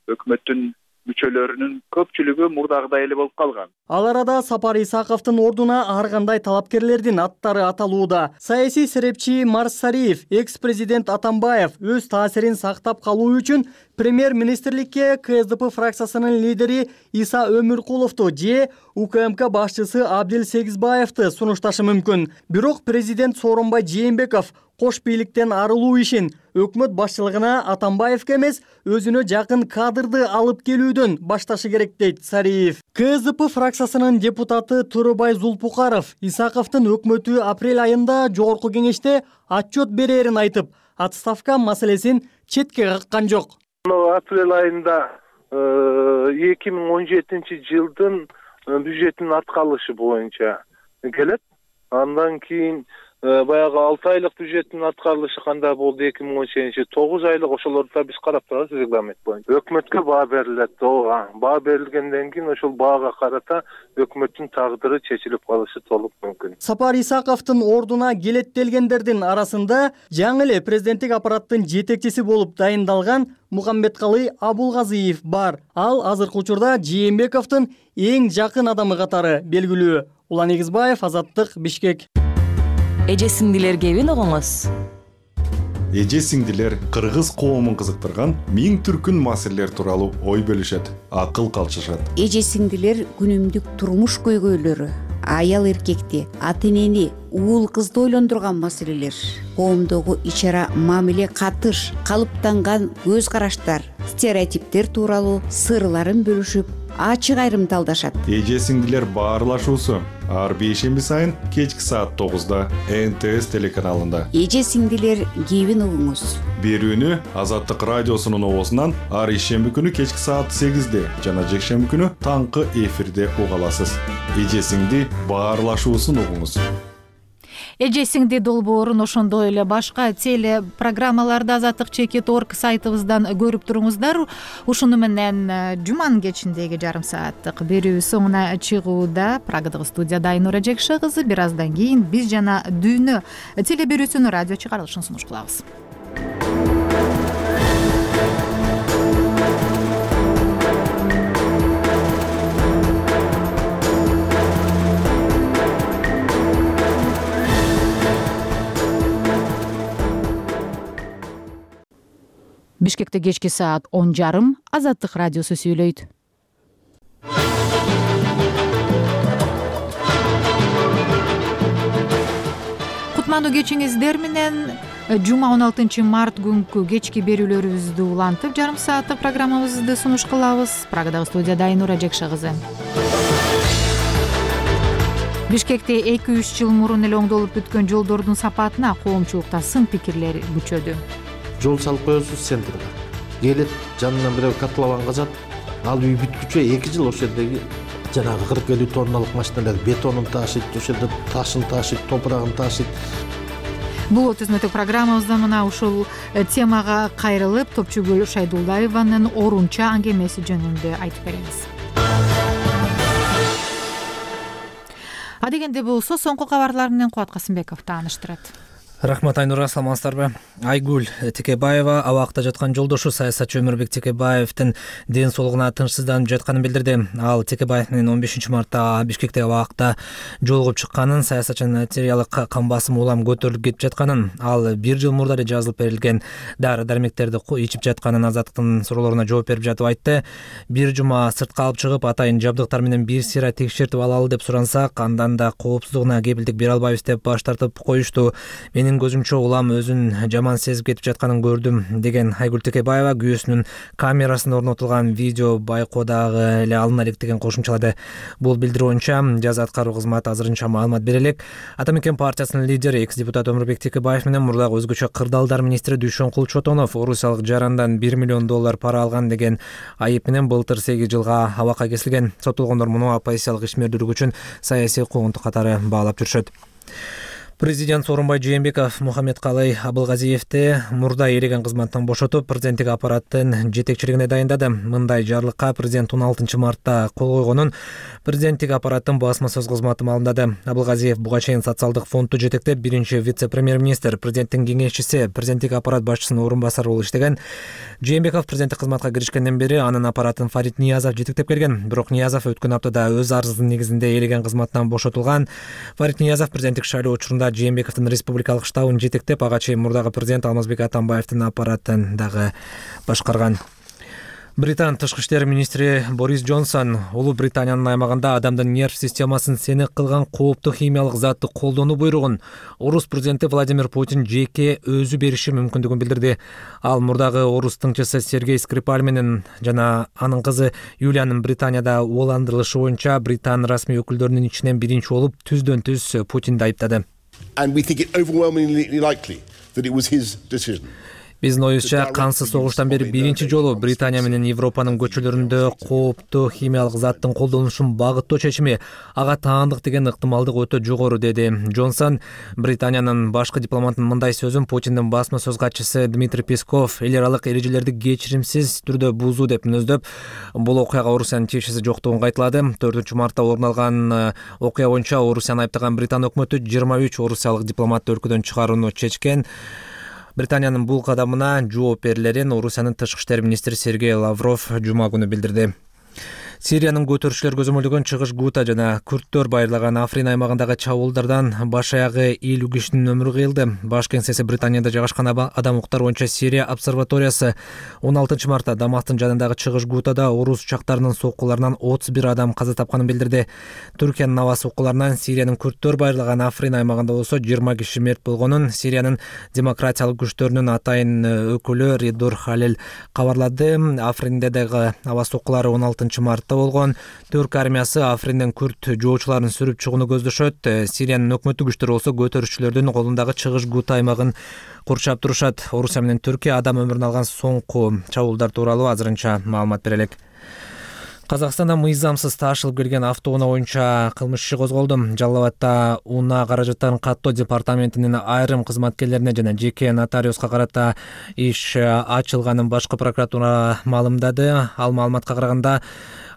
өкмөттүн мүчөлөрүнүн көпчүлүгү мурдагыдай эле болуп калган. Ал арада Сапар Исаковдун ордуна ар кандай талапкерлердин аттары аталууда. Саясий серепчи Марс Сариев, экс-президент Атамбаев өз таасирин сактап калуу үчүн премьер-министрликке КСДП фракциясынын лидери Иса Өмүркуловду же УКМК башчысы Абдил Сегизбаевди сунушташы мүмкүн. Бирок президент Сооронбай Жээнбеков кош бийликтен арылуу ишин өкмөт башчылыгына Атамбаевге эмес, өзүнө жакын кадрды алып келүүдөн башташы керек дейт Сариев. КСДП фракциясынын депутаты Төрөбай Зулпукаров Исаковдун өкмөтү апрель айында жогорку кеңеште отчет берерин айтып, отставка маселесин четке каккан жок. Апрель айында 2017 жылдын бюджетинин аткарылышы боюнча келет. Андан кийин баягы 6 айлык бюджеттин аткарылышы кандай болду 2017 9 айлык, ошолорду биз карап турабыз регламент боюнча. Өкмөткө баа берилет. Баа берилгенден кийин ошол баага карата өкмөттүн тагдыры чечилип калышы толук мүмкүн. Сапар Исаковдун ордуна келеттелгендердин арасында жаңы эле президенттик аппараттын жетекчиси болуп дайындалган Мухаммедкалый Абулгазиев бар. Ал азыркы учурда Жээнбековдун эң жакын адамы катары белгилүү. Улан Эгизбаев, Азаттык, Бишкек. Эже сиңдилер кебин огоңуз. Эже сиңдилер кыргыз коомун кызыктырган миң түркүн маселелер тууралуу ой бөлүшөт, акыл калчышат. Эже сиңдилер күнүмдүк турмуш көйгөйлөрү, аял эркекти, ата энени, уул кызды ойлондурган маселелер, коомдогу ичара мамиле катыш, калыптанган көз караштар, стереотиптер тууралуу сырларын бөлүшүп, ачык айрымталдашат. Эже сиңдилер баарлашуусу ар бейшемби сайын кечки саат 9-да НТС телеканалында. Эже сиңдилер кебин угуңуз. Берүүнү Азаттык радиосунун оозунан ар ишемби күнү кечки саат 8-де жана жекшемби күнү таңкы эфирде уга аласыз. Эже сиңди баарлашуусун угуңуз. Эже сиңди долбоорун ошондой эле башка теле программаларды azatlyk.org сайтыбыздан көрүп туруңуздар. Ушуну менен жуманын кечиндеги жарым сааттык берүү соңуна чыгууда. Прагадагы студияда Айнура Жекше кызы. Бир аздан кийин биз жана дүйнө теле берүүсүнүн радио чыгарылышын сунуш кылабыз. Бишкекте кечки саат 10:30 Азаттык радиосу сүйлөйт. Кутмандуу кечиңиздер менен жума 16 март күнкү кечки берүүлөрүбүздү улантып, жарым сааттык программабызды сунуш кылабыз. Прагадагы студияда Айнура Жекше кызы. Бишкекте 2-3 жыл мурун эле оңдолуп бүткөн жолдордун сапатына коомчулукта сын пикирлер күчөдү. Жол салып коесуз центрге. Келет, жанынан бирөө котлован казат. Ал үй бүткүчө 2 жыл ошол жердеги жанагы 40-50 тонналык машиналар бетонун ташыйт, ошол жерде ташын ташыйт, топурагын ташыйт. Бул өтөзмөтүк программабызда мына ушул темага кайрылып, Топчугүл Шайдулдаеванын орунча аңгемеси жөнүндө айтып беребиз. Адегенде болсо соңку кабарлар менен Кубат Касымбеков тааныштырат. Рахмат Айнура, саламатсыздарбы? Айгүл Текебаева абакта жаткан жолдошу саясатчы Өмүрбек Текебаевдин ден соолугуна тынчсызданып жатканын билдирди. Ал Текебаев менен 15 мартта Бишкекте абакта жолугуп чыкканын, саясатчынын артериялык кан басымы улам көтөрүлүп кетип жатканын, ал 1 жыл мурда эле жазылып берилген дары-дармектерди ичип жатканын Азаттыктын суроолоруна жооп берип жатып айтты. Бир жума сыртка алып чыгып, атайын жабдыктар менен бир сыйра текшертип алалы деп сурансак, андан да коопсуздугуна кепилдик бере албайбыз деп баш тартып коюшту. Менин көзүмчө улам өзүн жаман сезип кетип жатканын көрдүм, деген Айгүл Текебаева күйөөсүнүн камерасына орнотулган видео байкоодагы эле алына элек деген кошумчалады. Бул билдирүү боюнча жаза аткаруу кызматы азырынча маалымат бере элек. Ата Мекен партиясынын лидери, экс-депутат Өмүрбек Текебаев менен мурдагы өзгөчө кырдаалдар министри Дүйшөнкул Чотонов орусиялык жарандан $1 миллион пара алган деген айып менен былтыр 8 жылга абакка кесилген. Соттолгондор муну оппозициялык ишмердүүлүк үчүн саясий куугунтук катары баалап жүрүшөт. Президент Сооронбай Жээнбеков Мухаммедкалый Абылгазиевди мурда элеген кызматтан бошотуп, президенттик аппараттын жетекчилигине дайындады. Мындай жарлыкка президент 16 мартта кол койгонун президенттик аппараттын басма сөз кызматы маалымдады. Абылгазиев буга чейин социалдык фондду жетектеп, биринчи вице-премьер-министр, президенттин кеңешчиси, президенттик аппарат башчысынын орун басары болуп иштеген. Жээнбеков президенттик кызматка киришкенден бери анын аппаратын Фарид Ниязов жетектеп келген. Бирок Ниязов өткөн аптада өз арызынын негизинде элеген кызматтан бошотулган. Фарид Ниязов президенттик шайлоо учурунда Жээнбековдун республикалык штабын жетектеп, ага чейин мурдагы президент Алмазбек Атамбаевдин аппаратын дагы башкарган. Британ тышкы иштер министри Борис Джонсон Улуу Британиянын аймагында адамдын нерв системасын сенек кылган кооптуу химиялык затты колдонуу буйругун орус президенти Владимир Путин жеке өзү бериши мүмкүндүгүн билдирди. Ал мурдагы орус тыңчысы Сергей Скрипаль менен жана анын кызы Юлиянын Британияда ууландырылышы боюнча Британ расмий өкүлдөрүнүн ичинен биринчи болуп түздөн-түз Путинди айыптады. And we think it overwhelmingly likely that it was his decision. Биздин оюбузча, кансыз согуштан бери биринчи жолу Британия менен Европанын көчөлөрүндө кооптуу химиялык заттын колдонулушун багыттоо чечими ага таандык деген ыктымалдык өтө жогору, деди Джонсон. Британиянын башкы дипломатынын мындай сөзүн Путиндин басма сөз катчысы Дмитрий Песков эл аралык эрежелерди кечиримсиз түрдө бузуу деп мүнөздөп, бул окуяга Орусиянын тиешеси жоктугун кайталады. 4 мартта орун алган окуя боюнча Орусияны айыптаган Британ өкмөтү 23 орусиялык дипломатты өлкөдөн чыгарууну чечкен. Британиянын бул кадамына жооп берилерин Орусиянын тышкы иштер министри Сергей Лавров жума күнү билдирди. Сириянын көтөрүүчүлөр көзөмөлдөгөн чыгыш Гута жана күрттөр байырлаган Африн аймагындагы чабуулдардан баш аягы 50 кишинин өмүрү кыйылды. Баш кеңсеси Британияда жайгашкан адам укуктары боюнча Сирия обсерваториясы 16 мартта Дамастын жанындагы чыгыш Гутада орус учактарынын соккуларынан 31 адам каза тапканын билдирди. Түркиянын аба соккуларынан Сириянын күрттөр байырлаган Африн аймагында болсо 20 киши мерт болгонун Сириянын демократиялык күчтөрүнүн атайын өкүлү Ридур Халил кабарлады. Афринде дагы аба соккулары 16 мартта Иракта болгон Түрк армиясы Афринден күрд жоочуларын сүрүп чыгууну көздөшөт. Сириянын өкмөттүк күчтөрү болсо көтөрүүчүлөрдүн колундагы чыгыш Гута аймагын курчап турушат. Орусия менен Түркия адам өмүрүн алган соңку чабуулдар тууралуу азырынча маалымат бере элек. Казакстанда мыйзамсыз ташылып келген автоунаа боюнча кылмыш иши козголду. Жалал Абадта унаа каражаттарын каттоо департаментинин айрым кызматкерлерине жана жеке нотариуска карата иш ачылганын башкы прокуратура маалымдады. Ал маалыматка караганда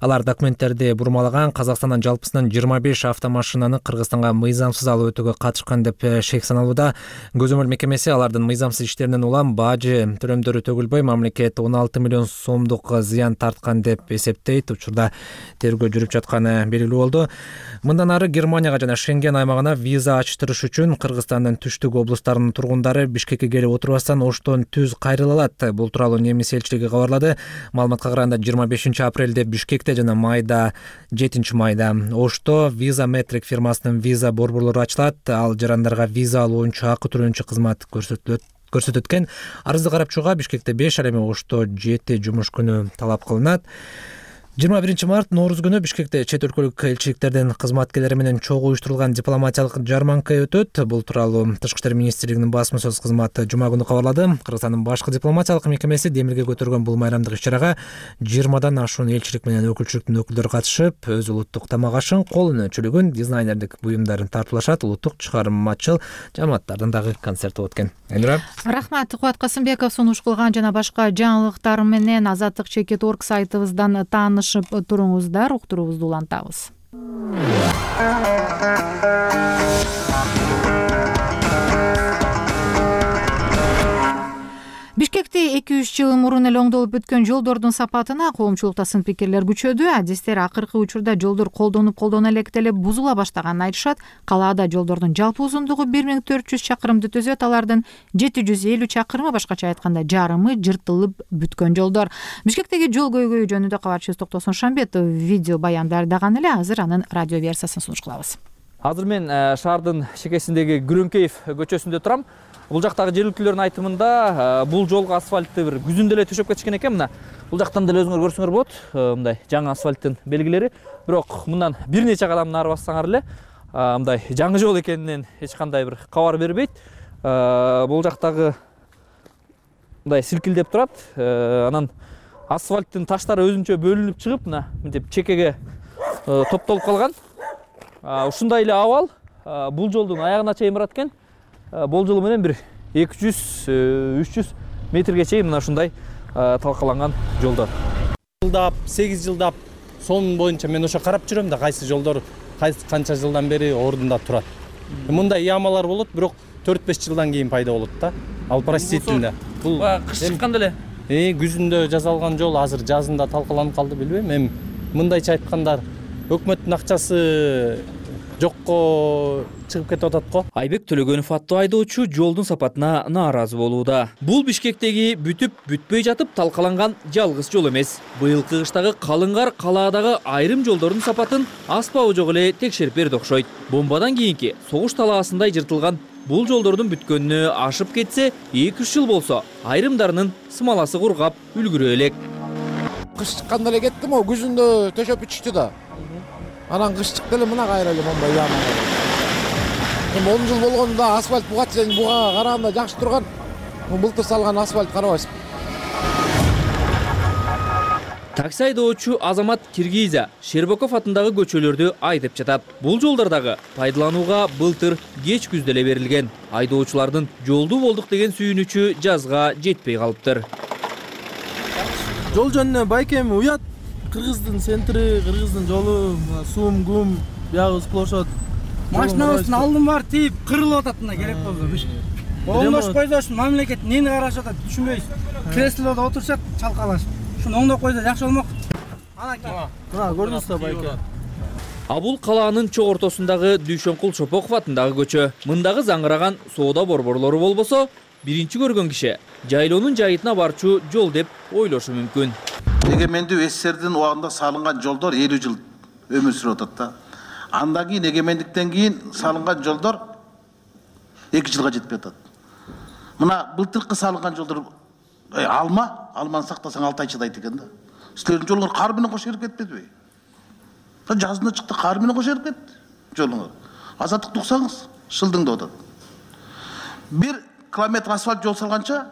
алар документтерди бурмалаган, Казакстандан жалпысынан 25 автомашинаны Кыргызстанга мыйзамсыз алып өтүүгө катышкан деп шек саналууда. Көзөмөл мекемеси алардын мыйзамсыз иштеринен улам бажы төлөмдөрү төгүлбөй, мамлекет 16 миллион сомдук зыян тарткан деп эсептейт. Учурда тергөө жүрүп жатканы белгилүү болду. Мындан ары Германияга жана Шенген аймагына виза ачтырыш үчүн Кыргызстандын түштүк облустарынын тургундары Бишкекке келип отурбастан Оштон түз кайрыла алат. Бул тууралуу немис элчилиги кабарлады. Маалыматка караганда 25 апрелде Бишкекте жана майда 7 майда Ошто виза метрик фирмасынын виза борборлору ачылат. Ал жарандарга виза алуу боюнча акы төлөөнчү кызмат көрсөтөт экен. Арызды карап чыгууга Бишкекте 5, ал эми Ошто 7 жумуш күнү талап кылынат. 21 март Норуз күнү Бишкекте чет өлкөлүк элчиликтердин кызматкерлери менен чогуу уюштурулган дипломатиялык жарманка өтөт. Бул тууралуу Тышкы иштер министрлигинин басма сөз кызматы жума күнү кабарлады. Кыргызстандын башкы дипломатиялык мекемеси демилге көтөргөн бул майрамдык иш-чарага 20дан ашуун элчилик менен өкүлчүлүктүн өкүлдөрү катышып, өз улуттук тамак ашын, кол өнөрчүлүгүн, дизайнердик буюмдарын тартуулашат. Улуттук чыгармачыл жамааттардын дагы концерти болот экен. Элнура. Рахмат, Кубат Касымбеков сунуш кылган жана башка жаңылыктар менен Азаттык.org сайтыбыздан таанышып туруңуздар, уктуруубузду улантабыз. Бишкекте 2-3 жыл мурун эле оңдолуп бүткөн жолдордун сапатына коомчулукта сын пикирлер күчөдү. Адистер акыркы учурда жолдор колдона элек бузула баштаганын айтышат. Калаада жолдордун жалпы узундугу 1400 чакырымды түзөт. Алардын 750 чакырымы, башкача айтканда жарымы, жыртылып бүткөн жолдор. Бишкектеги жол көйгөйү жөнүндө кабарчыбыз Токтосун Шамбетов видео баян даярдаган эле. Азыр анын радио версиясын сунуш кылабыз. Азыр мен шаардын чекесиндеги Күрөңкеев көчөсүндө турам. Бул жактагы жергиликтүүлөрдүн айтымында бул жолго асфальтты бир күзүндө эле төшөп кетишкен экен. Мына бул жактан деле өзүңөр көрсөңөр болот. Мындай жаңы асфальттын белгилери. Бирок мындан бир нече кадам нары бассаңар эле мындай жаңы жол экенинен эч кандай бир кабар бербейт. Бул жактагы мындай силкилдеп турат. Анан асфальттын таштары өзүнчө бөлүнүп чыгып, мына мынтип чекеге топтолуп калган. Ушундай эле абал бул жолдун аягына чейин барат экен. Болжолу менен бир 200-300 метрге чейин мына ушундай талкаланган жолдор. Жылдап, 8 жылдап сонун боюнча мен ошо карап жүрөм да, кайсы жолдор канча жылдан бери ордунда турат. Мындай ямалар болот, бирок 4-5 жылдан кийин пайда болот да. Ал простительно. Бул кыш чыкканда эле. Күзүндө жасалган жол азыр жазында талкаланып калды, билбейм. Эми мындайча айтканда өкмөттүн акчасы жокко чыгып кетип атат го. Айбек Төлөгөнов аттуу айдоочу жолдун сапатына нааразы болууда. Бул Бишкектеги бүтүп бүтпөй жатып талкаланган жалгыз жол эмес. Быйылкы кыштагы калың кар калаадагы айрым жолдордун сапатын аспабы жок эле текшерип берди окшойт. Бомбадан кийинки согуш талаасындай жыртылган бул жолдордун бүткөнүнө ашып кетсе 2-3 жыл болсо, айрымдарынын смаласы кургап үлгүрө элек. Кыш чыкканда эле кеттим, о күзүндө төшөп бүтүштү да. Анан кыш чыкты эле мына кайра эле момбай яма. Эми 10 жыл болгондо асфальт буга караганда жакшы турган. Былтыр салган асфальт карабайсызбы. Такси айдоочу Азамат Киргиза Шербоков атындагы көчөлөрдү айдап жатат. Бул жолдордагы пайдаланууга былтыр кеч күздө эле берилген. Айдоочулардын жолду болдук деген сүйүнүчү жазга жетпей калыптыр. Жол жөнүнө байкем уят. Кыргыздын центри, Кыргыздын жолу, сум, гум, бягы сплошот. Машинабыздын алдын бар тийип кырылып атат, мына керек болду. Оңдош койсош, мамлекет эмнени карашып атат түшүнбөйбүз. Креслодо отурушат, чалкалашып. Ушуну оңдоп койсо жакшы болмок. Мына көрдүңүзбү байке? Бул калаанын чок ортосундагы Дүйшөнкул Шопоков атындагы көчө. Мындагы заңыраган соода борборлору болбосо, биринчи көргөн киши жайлоонун жайытына барчу жол деп ойлошу мүмкүн. Эгемендүү СССРдин убагында салынган жолдор 50 жыл өмүр сүрүп атат да. Андан кийин эгемендиктен кийин салынган жолдор 2 жылга жетпей атат. Мына былтыркы салынган жолдор алманы сактасаң 6 ай чыдайт экен да. Силердин жолуңар кар менен кошо эрип кетпедиби? жазында чыкты, кар менен кошо эрип кетти жолуңа. Азаттыкты уксаңыз, шылдыңда атат. 1 километр асфальт жол салганча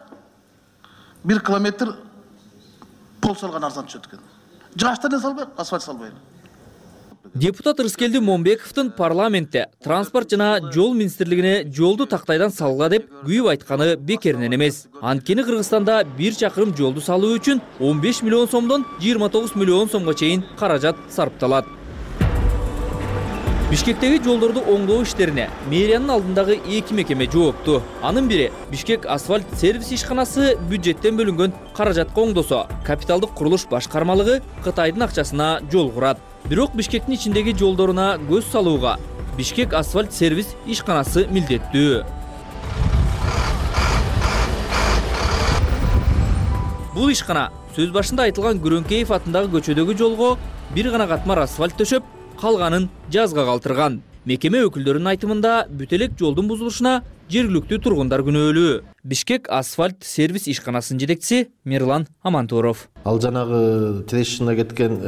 1 километр пол салган арзан түшөт экен. Жаштан салбай, асфальт салбай. Депутат Рыскелди Момбековдун парламентте транспорт жана жол министрлигине жолду тактайдан салгыла деп күйүп айтканы бекеринен эмес. Анткени Кыргызстанда 1 чакырым жолду салуу үчүн 15 миллион сомдон 29 миллион сомго чейин каражат сарпталат. Бишкектеги жолдорду оңдоо иштерине мэриянын алдындагы 2 мекеме жоопту. Анын бири Бишкек асфальт сервис ишканасы бюджеттен бөлүнгөн каражатка оңдосо, капиталдык курулуш башкармалыгы Кытайдын акчасына жол курат. Бирок Бишкектин ичиндеги жолдоруна көз салууга Бишкек асфальт сервис ишканасы милдеттүү. Бул ишкана сөз башында айтылган Күрөңкеев атындагы көчөдөгү жолго бир гана катмар асфальт төшөп, калганын жазга калтырган. Мекеме өкүлдөрүнүн айтымында бүт элек жолдун бузулушуна жергиликтүү тургундар күнөөлүү. Бишкек асфальт сервис ишканасынын жетекчиси Мирлан Амантуров. Ал жанагы трещина кеткен,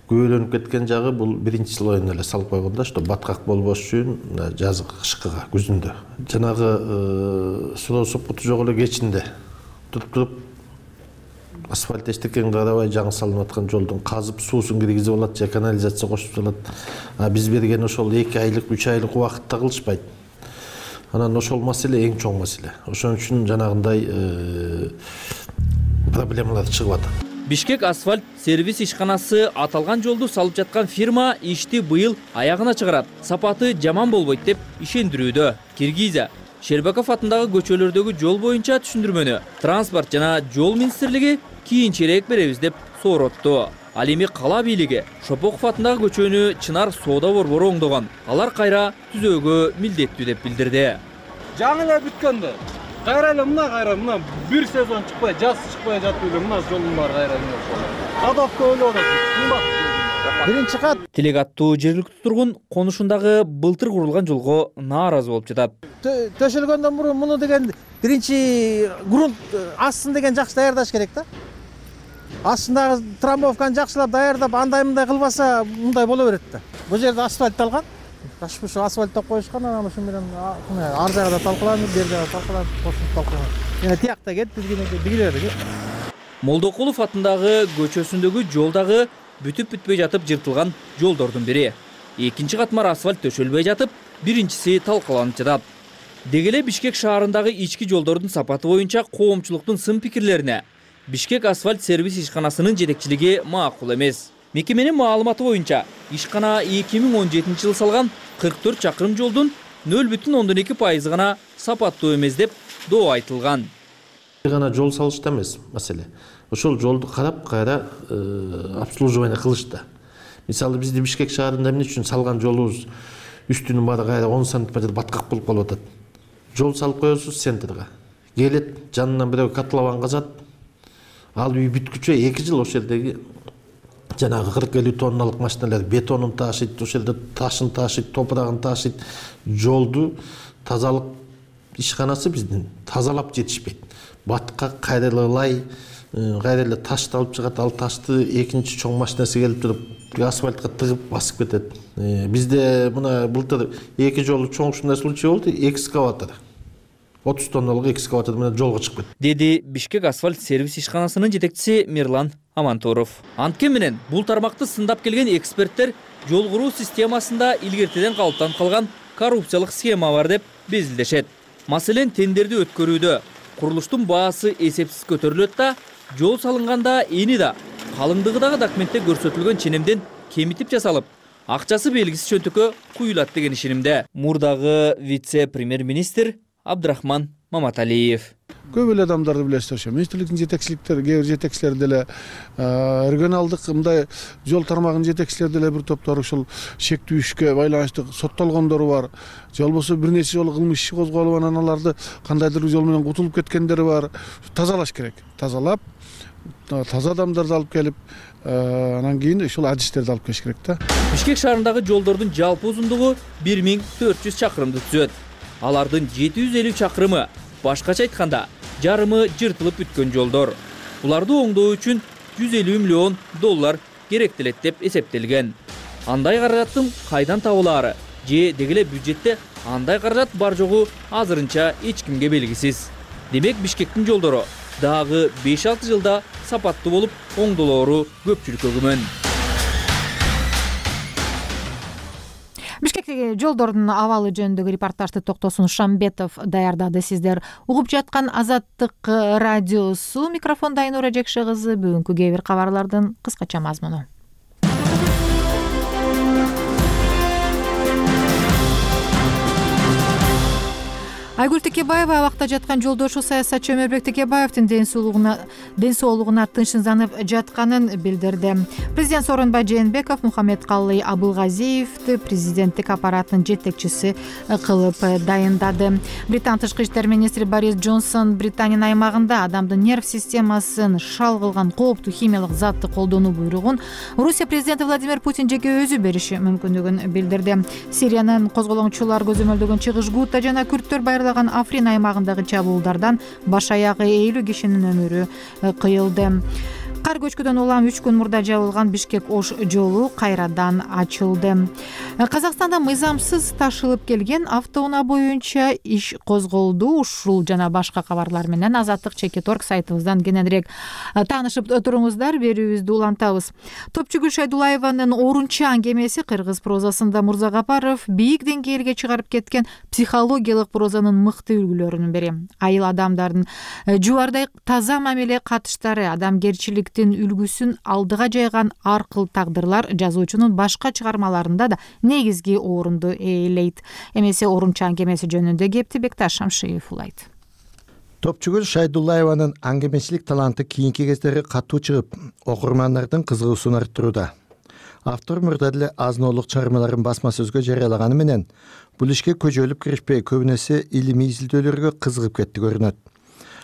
көөлөнүп кеткен жагы бул биринчи слоюн эле салып койгондо, что баткак болбош үчүн жазгы кышкыга күзүндө. Жанагы суу сопкуту жок эле кечинде туруп асфальт эчтекени карабай жаңы салынып аткан жолдун казып суусун киргизип алат же канализация кошуп салат. Биз берген ошол 2 айлык, 3 айлык убакытта кылышпайт. Анан ошол маселе эң чоң маселе. Ошон үчүн жанагындай проблемалар чыгып атат. Бишкек асфальт сервис ишканасы аталган жолду салып жаткан фирма ишти быйыл аягына чыгарат. Сапаты жаман болбойт деп ишендирүүдө. Киргизия Шербаков атындагы көчөлөрдөгү жол боюнча түшүндүрмөнү транспорт жана жол министрлиги кийинчерээк беребиз деп соротту. Ал эми кала бийлиги Шопоков атындагы көчөнү Чынар соода борбору оңдогон. Алар кайра түзөөгө милдеттүү деп билдирди. Жаңы эле бүткөндө кайра мына бир сезон чыкпай, жаз чыкпай жатып эле мына жолдун баары кайра кадовка ойлоп атат. Биринчи кат Тилек аттуу жергиликтүү тургун конушундагы былтыр курулган жолго нааразы болуп жатат. Төшөлгөндөн мурун муну деген биринчи грунт астын деген жакшы даярдаш керек да. Астындагы трамбовканы жакшылап даярдап, андай-мындай кылбаса, мындай боло берет да. Бул жерде асфальтталган. Ошо асфальттап коюшкан, анан ошо менен ар жагда талкаланып, бер жагда талкаланып, кошуп талкаланып. Жана тиякта кетти, бизгилер кетти. Молдокулов атындагы көчөсүндөгү жолдагы бүтүп бүтпөй жатып жыртылган жолдордун бири. Экинчи катмар асфальт төшөлбөй жатып, биринчиси талкаланып жатат. Деги эле Бишкек шаарындагы ички жолдордун сапаты боюнча коомчулуктун сын пикирлерине Бишкек асфальт сервис ишканасынын жетекчилиги макул эмес. Мекеменин маалыматы боюнча, ишкана 2017 жылы салган 44 чакырым жолдун 0,2% гана сапаттуу эмес деп доо айтылган. Гана жол салышта эмес маселе. Ошол жолду карап кайра обслуживание кылышта. Мисалы бизди Бишкек шаарында эмне үчүн салган жолубуз үстүнүн баары кайра 10 сантиметр баткак болуп калып атат. Жол салып коесуз центрге. Келет, жанынан бирөө котлован казат. Ал үй бүткүчө 2 жыл ошол жердеги жанагы 40-50 тонналык машиналар бетонун ташыйт, ошол жерде ташын ташыйт, топурагын ташыйт. Жолду тазалык ишканасы биздин тазалап жетишпейт. Баткак кайрылай, кайра эле ташты алып чыгат, ал ташты экинчи чоң машинасы келип туруп асфальтка тыгып басып кетет. Бизде мына былтыр 2 жолу чоң ушундай случай болду, экскаватор 30 тонналык экскаватор менен жолго чыгып кетти, деди Бишкек асфальт сервис ишканасынын жетекчиси Мирлан Амантуров. Анткени менен бул тармакты сындап келген эксперттер жол куруу системасында илгертеден калыптанып калган коррупциялык схема бар деп безилдешет. Маселен, тендерди өткөрүүдө курулуштун баасы эсепсиз көтөрүлөт да, жол салынганда эни да калыңдыгы дагы документте көрсөтүлгөн ченемден кемитип жасалып, акчасы белгисиз чөнтөккө куюлат деген ишенимде мурдагы вице-премьер-министр Абдрахман Маматалиев. Көп эле адамдарды билесиздер, ошо министрликтин жетекчиликтери, кээ бир жетекчилер деле, регионалдык мындай жол тармагынын жетекчилери деле бир топтор ушул шектүү ишке байланыштуу соттолгондору бар. Же болбосо бир нече жолу кылмыш иши козголуп, анан аларды кандайдыр жол менен кутулуп кеткендери бар. Тазалаш керек. Тазалап, таза адамдарды алып келип, анан кийин ушул адистерди алып келиш керек да. Бишкек шаарындагы жолдордун жалпы узундугу 1400 чакырымды түзөт. Алардын 750 чакырымы, башкача айтканда, жарымы жыртылып бүткөн жолдор. Буларды оңдоо үчүн $150 миллион керектелет деп эсептелген. Андай каражаттын кайдан табылаары же деги эле бюджетте андай каражат бар жогу азырынча эч кимге белгисиз. Демек Бишкектин жолдору дагы 5-6 жылда сапаттуу болуп, оңдолоору көпчүлүккө күмөн. Бишкектеги жолдордун абалы жөнүндөгү репортажды Токтосун Шамбетов даярдады. Сиздер угуп жаткан Азаттык радиосу. Микрофонда Айнура Жекше кызы. Бүгүнкү кээ бир кабарлардын кыскача мазмуну. Айгүл Текебаева абакта жаткан жолдошу саясатчы Өмөрбек Текебаевдин ден соолугуна тынчсызданып жатканын билдирди. Президент Сооронбай Жээнбеков Мухаммедкалый Абылгазиевди президенттик аппараттын жетекчиси кылып дайындады. Британ тышкы иштер министри Борис Джонсон Британиянын аймагында адамдын нерв системасын шал кылган кооптуу химиялык затты колдонуу буйругун Орусия президенти Владимир Путин жеке өзү бериши мүмкүндүгүн билдирди. Сириянын козголоңчулар көзөмөлдөгөн чыгыш Гута жана күрттөр байырлаган Африн аймагындагы чабуулдардан баш аягы 50 кишинин өмүрү кыйылды. Кар көчкүдөн улам 3 күн мурда жабылган Бишкек-Ош жолу кайрадан ачылды. Казакстанда мыйзамсыз ташылып келген автоунаа боюнча иш козголду. Ушул жана башка кабарлар менен Азаттык Чекиторг сайтыбыздан кененирээк таанышып туруңуздар. Берүүбүздү улантабыз. Топчугүл Шайдулаеванын Орунчан кемеси кыргыз прозасында Мурзагапаров бийик деңгээлге чыгарып кеткен психологиялык прозанын мыкты үлгүлөрүнүн бири. Айыл адамдардын жубардай таза мамиле катыштары, адамгерчилик үлгүсүн алдыга жайган аркыл тагдырлар жазуучунун башка чыгармаларында да негизги орунду ээлейт. Эмесе Орунчан кемеси жөнүндө кепти Бекташ Шамшиев улайт. Топчугүл Шайдулаеванын аңгемечилик таланты кийинки кездери катуу чыгып, окурмандардын кызыгуусун арттырууда. Автор мурда деле азын-оолук чыгармаларын басма сөзгө жарыялаганы менен бул ишке көжөлүп киришпей, көбүнесе илимий изилдөөлөргө кызыгып кетти көрүнөт.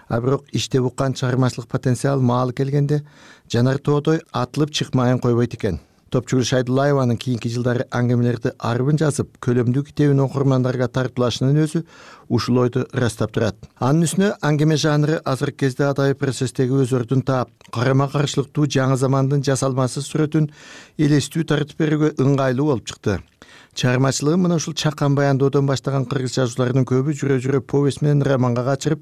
А бирок иштеп уккан чыгармачылык потенциал маалы келгенде жанар тоодой атылып чыкмайын койбойт экен. Топчугүл Шайдулаеванын кийинки жылдары аңгемелерди арбын жазып, көлөмдүү китебин окурмандарга тартуулашынын өзү ушул ойду ырастап турат. Анын үстүнө аңгеме жанры азыркы кезде адайы процесстеги өз ордун таап, карама-каршылыктуу жаңы замандын жасалмасыз сүрөтүн элестүү тартып берүүгө ыңгайлуу болуп чыкты. Чыгармачылыгын мына ушул чакан баянdoодон баштаган кыргыз жазууларынын көбү жүрө-жүрө повесть менен романга качырып,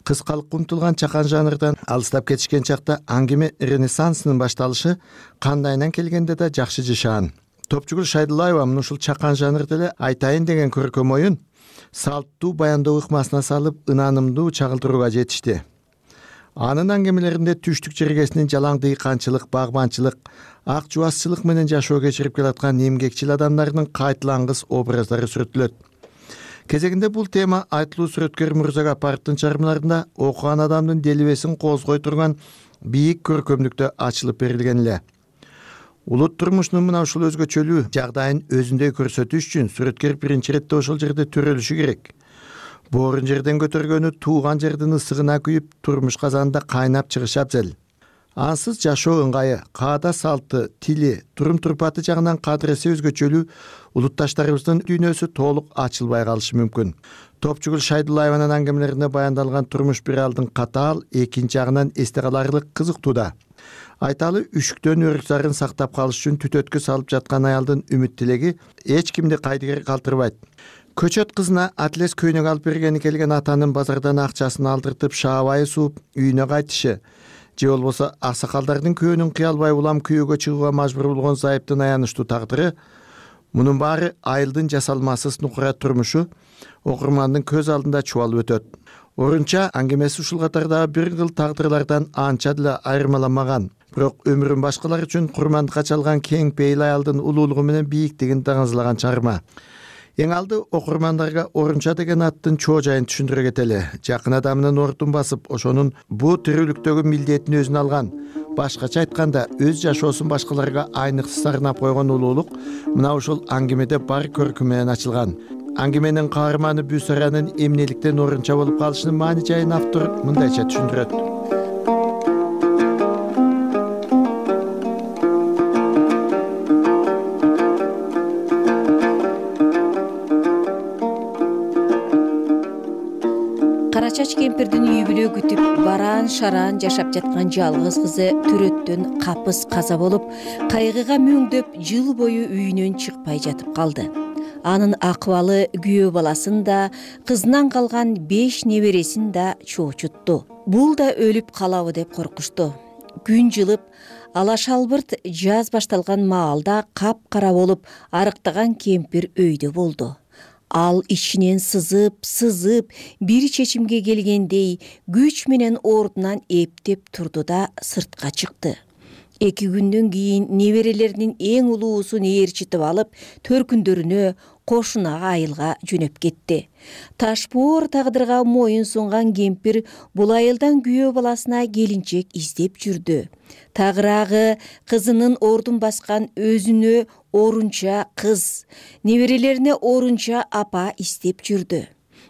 кыскалыкка умтулган чакан жанрдан алыстап кетишкен чакта аңгеме ренессансынын башталышы кандайынан келгенде да жакшы жашаан. Топчугүл Шайдулаева мына ушул чакан жанрда эле айтайын деген көркөм оюн салттуу баяндоо ыкмасына салып, ынанымдуу чагылдырууга жетишти. Анын аңгемелеринде түштүк жергесинин жалаң дыйканчылык, багбанчылык, ак жубасчылык менен жашоо кечирип келаткан эмгекчил адамдардын кайтылангыс образдары сүрөттөлөт. Кезегинде бул тема айтылуу сүрөткөр Мурзагапаровдун чыгармаларында окуган адамдын делебесин козгой турган бийик көркөмдүктө ачылып берилген эле. Улут турмушунун мына ушул өзгөчөлүү жагдайын өзүндөй көрсөтүш үчүн сүрөткөр биринчи иретте ошол жерде төрөлүшү керек. Боорун жерден көтөргөнү тууган жердин ысыгына күйүп, турмуш казанында кайнап чыгышы абзел. Ансыз жашоо ыңгайы, каада салты, тили, турум-турпаты жагынан кадыреси өзгөчөлүү улутташтарыбыздын дүйнөсү толук ачылбай калышы мүмкүн. Топчугүл Шайдулаеванын аңгемелеринде баяндалган турмуш бир алдын катаал, экинчи жагынан эсте каларлык кызыктууда. Айталы үшүктөн өрүк-зарын сактап калыш үчүн түтөткө салып жаткан аялдын үмүт тилеги эч кимди кайдыгер калтырбайт. Көчөт кызына атлес көйнөк алып бергени келген атанын базардан акчасын алдыртып шаабайы сууп үйүнө кайтышы, же болбосо аксакалдардын көөнүн кыя албай улам күйөөгө чыгууга мажбур болгон зайыптын аянычтуу тагдыры, мунун баары айылдын жасалмасыз нукура турмушу окурмандын көз алдында чубалып өтөт. Орунча аңгемеси ушул катардагы бир кыл тагдырлардан анча деле айырмаланмаган, бирок өмүрүн башкалар үчүн курмандыкка чалган кең пейил аялдын улуулугу менен бийиктигин даңазлаган чыгарма. Эң алды окурмандарга Орунча деген аттын чоо жайын түшүндүрө кетели. Жакын адамынын ордун басып, ошонун бу тирүүлүктөгү милдетин өзүнө алган, башкача айтканда өз жашоосун башкаларга айныксыз арнап койгон улуулук мына ушул аңгемеде бар көркүм менен ачылган. Аңгеменин каарманы Бүсаранын эмнеликтен Орунча болуп калышынын маани жайын автор мындайча түшүндүрөт. Чач кемпирдин үй бүлө күтүп бараан шараан жашап жаткан жалгыз кызы төрөттөн капыс каза болуп, кайгыга мөңдөп жыл бою үйүнөн чыкпай жатып калды. Анын акыбалы күйөө баласын да, кызынан калган 5 небересин да чоочутту. Бул да өлүп калабы деп коркушту. Күн жылып, ала шалбырт жаз башталган маалда капкара болуп, арыктаган кемпир өйдө болду. Ал ичинен сызып, бир чечимге келгендей күч менен ордунан эптеп турду да сыртка чыкты. 2 күндөн кийин неберелеринин эң улуусун ээрчитип алып, төркүндөрүнө, кошунага айылга жөнөп кетти. Ташпоор тагдырга моюн сунган кемпир бул айылдан күйөө баласына келинчек издеп жүрдү. Тагыраагы кызынын ордун баскан өзүнө орунча кыз, неберелерине орунча апа издеп жүрдү.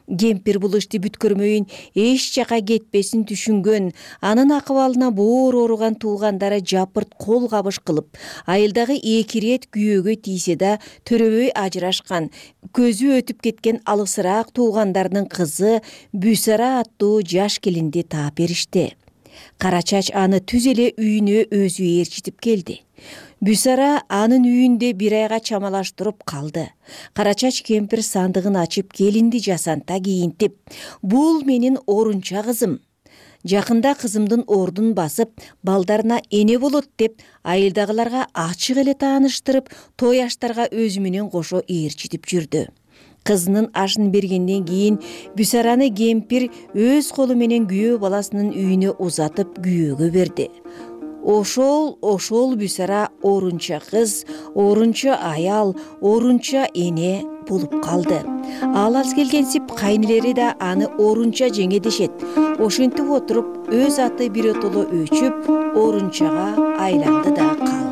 Кемпир бул ишти бүткөрмөйүн эч жака кетпесин түшүнгөн, анын акыбалына боор ооруган туугандары жапырт кол кабыш кылып, айылдагы 2 ирет күйөөгө тийсе да төрөбөй ажырашкан, көзү өтүп кеткен алысыраак туугандарынын кызы Бүсара аттуу жаш келинди таап беришти. Кара Чач аны түз эле үйүнө өзү ээрчитип келди. Бүсара анын үйүндө 1 айга чамалаштырып калды. Кара Чач кемпир сандыгын ачып, келинди жасанта кийинтип, "Бул менин орунча кызым. Жакында кызымдын ордун басып, балдарына эне болот" деп айылдагыларга ачык эле тааныштырып, той аштарга өзү менен кошо ээрчитип жүрдү. Кызынын ашын бергенден кийин Бүсараны кемпир өз колу менен күйөө баласынын үйүнө узатып күйөөгө берди. Ошол Бүсара орунча кыз, орунча аял, орунча эне болуп калды. Ал аз келгенсип кайнелери да аны орунча жеңе дешет. Ошентип отуруп өз аты биротоло өчүп, орунчага айланды да калды.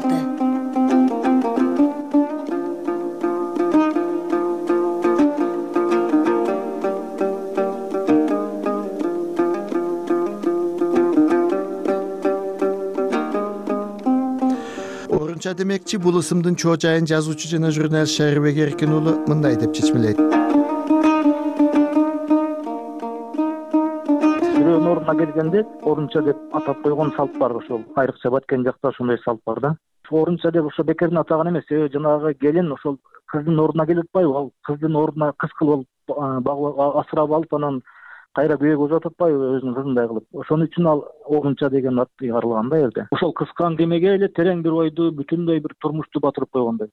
Демекчи, бул ысымдын чоо жайын жазуучу жана журналист Шайрыбек Эркин уулу мындай деп чечмелейт. Бирөөнүн ордуна келгенде орунча деп атап койгон салт бар, ошол айрыкча Баткен жакта ошондой салт бар да. Орунча деп ошо бекерден атаган эмес, жанагы келин ошол кыздын ордуна келип атпайбы, ал кыздын ордуна кыз кылып асырап алып, анан кайра күйөөгө узатып атпайбы өзүнүн кызындай кылып. Ошон үчүн ал орунча деген ат ыйгарылган да элде. Ошол кыскан кемеге эле терең бир ойду, бүтүндөй бир турмушту батырып койгондой.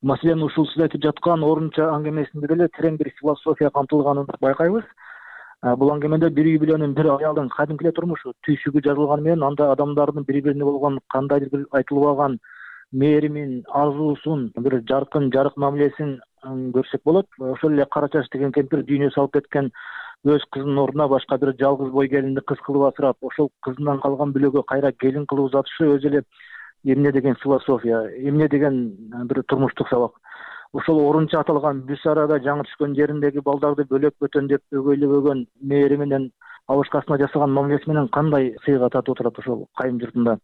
Маселен, ушул сиз айтып жаткан орунча аңгемесинде деле терең бир философия камтылганын байкайбыз. Бул аңгемеде бир үй бүлөнүн, бир аялдын кадимки эле турмушу, түйшүгү жазылганы менен анда адамдардын бири-бирине болгон кандайдыр бир айтылбаган мээримин, арзуусун, бир жаркын, жарык мамилесин көрсөк болот. Ошол эле Кара Чач деген кемпир дүйнө салып кеткен өз кызынын ордуна башка бир жалгыз бой келинди кыз кылып асырап, ошол кызынан калган бүлөгө кайра келин кылып узатышы өзү эле эмне деген философия, эмне деген бир турмуштук сабак. Ошол орунча аталган Бүсарада жаңы түшкөн жериндеги балдарды бөлөк бөтөндөп өгөйлөбөгөн мээри менен, абышкасына жасаган мамилеси менен кандай сыйга татып отурат ошол кайын журтунда.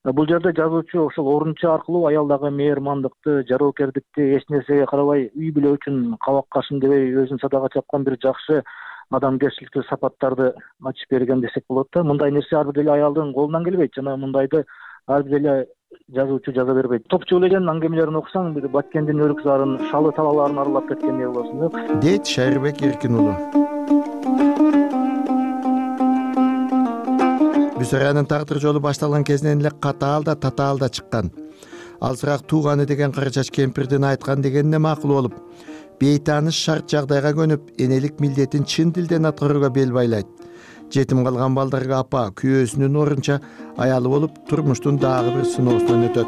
Бул жерде жазуучу ошол орунча аркылуу аялдагы мээрмандыкты, жароокердикти, эч нерсеге карабай үй бүлө үчүн кабак кашын дебей өзүн садага чапкан бир жакшы адамгерчиликтүү сапаттарды ачып берген десек болот да. Мындай нерсе ар бир эле аялдын колунан келбейт жана мындайды ар бир эле жазуучу жаза бербейт. Топчу элен аңгемелерин окусаң, бир Баткендин өрүк зарын, шалы талааларын аралап кеткендей болосуң, дейт Шайрыбек Эркин уулу. Бүсаранын тагдыр жолу башталган кезинен эле катаал да татаал да чыккан. Алсыраак тууганы деген Кара Чач кемпирдин айткан дегенине макул болуп, бейтааныш шарт жагдайга көнүп, энелик милдетин чын дилден аткарууга бел байлайт. Жетим калган балдарга апа, күйөөсүнүн орунча аялы болуп, турмуштун дагы бир сыноосунан өтөт.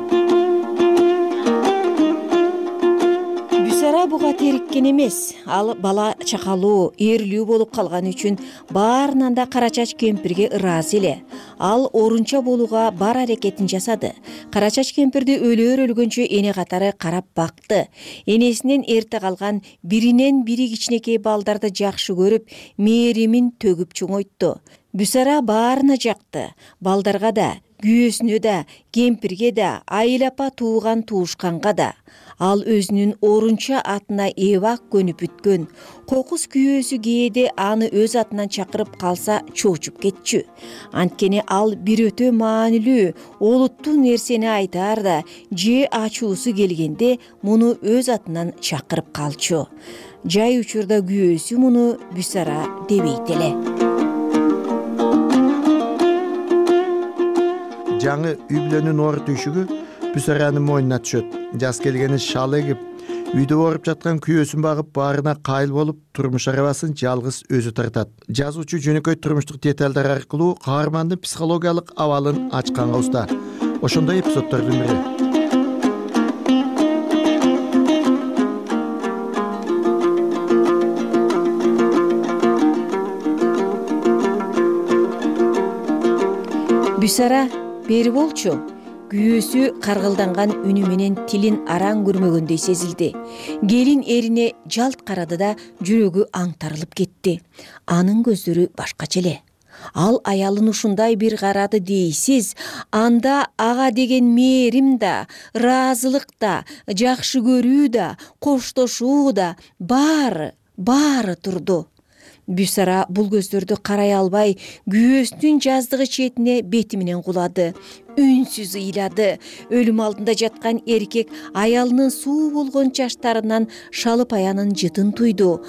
Бүсара буга териккен эмес. Ал бала чакалуу, эрлүү болуп калган үчүн баарынан да Кара Чач кемпирге ыраазы эле. Ал орунча болууга бар аракетин жасады. Кара Чач кемпирди өлгөнчө эне катары карап бакты. Энесинен эрте калган биринен бири кичинекей балдарды жакшы көрүп, мээримин төгүп чоңойтtu. Бүсара баарына жакты. Балдарга да, күйөөсүнө да, кемпирге да, айыл апа тууган туушканга да. Ал өзүнүн орунча атына эбак көнүп бүткөн. Кокус күйөөсү кээде аны өз атынан чакырып калса чоочуп кетчү. Анткени ал бир өтө маанилүү, олуттуу нерсени айтаар да, же ачуусу келгенде муну өз атынан чакырып калчу. Жай учурда күйөөсү муну Бүсара дебейт эле. Жаңы үй бүлөнүн оор түйшүгү Бүсаранын мойнуна түшөт. Жаз келгени шал эгип, үйдө ооруп жаткан күйөөсүн багып, баарына кайыл болуп, турмуш арабасын жалгыз өзү тартат. Жазуучу жөнөкөй турмуштук деталдар аркылуу каармандын психологиялык абалын ачканга уста. Ошондой эпизоддордун бири. Бүсара, бери болчу. Күйөөсү каргылданган үнү менен тилин араң көрмөгөндөй сезилди. Келин эрине жалт карады да жүрөгү аңтарылып кетти. Анын көздөрү башкача эле. Ал аялын ушундай бир карады дейсиз, анда ага деген мээрим да, ыраазылык да, жакшы көрүү да, коштошуу да баары турду. Бүсара бул көздөрдү карай албай, күйөөсүнүн жаздыгы четине бети менен кулады. Үнсүз ыйлады. Өлүм алдында жаткан эркек аялынын суу болгон чачтарынан шалып аянын жытын туйду.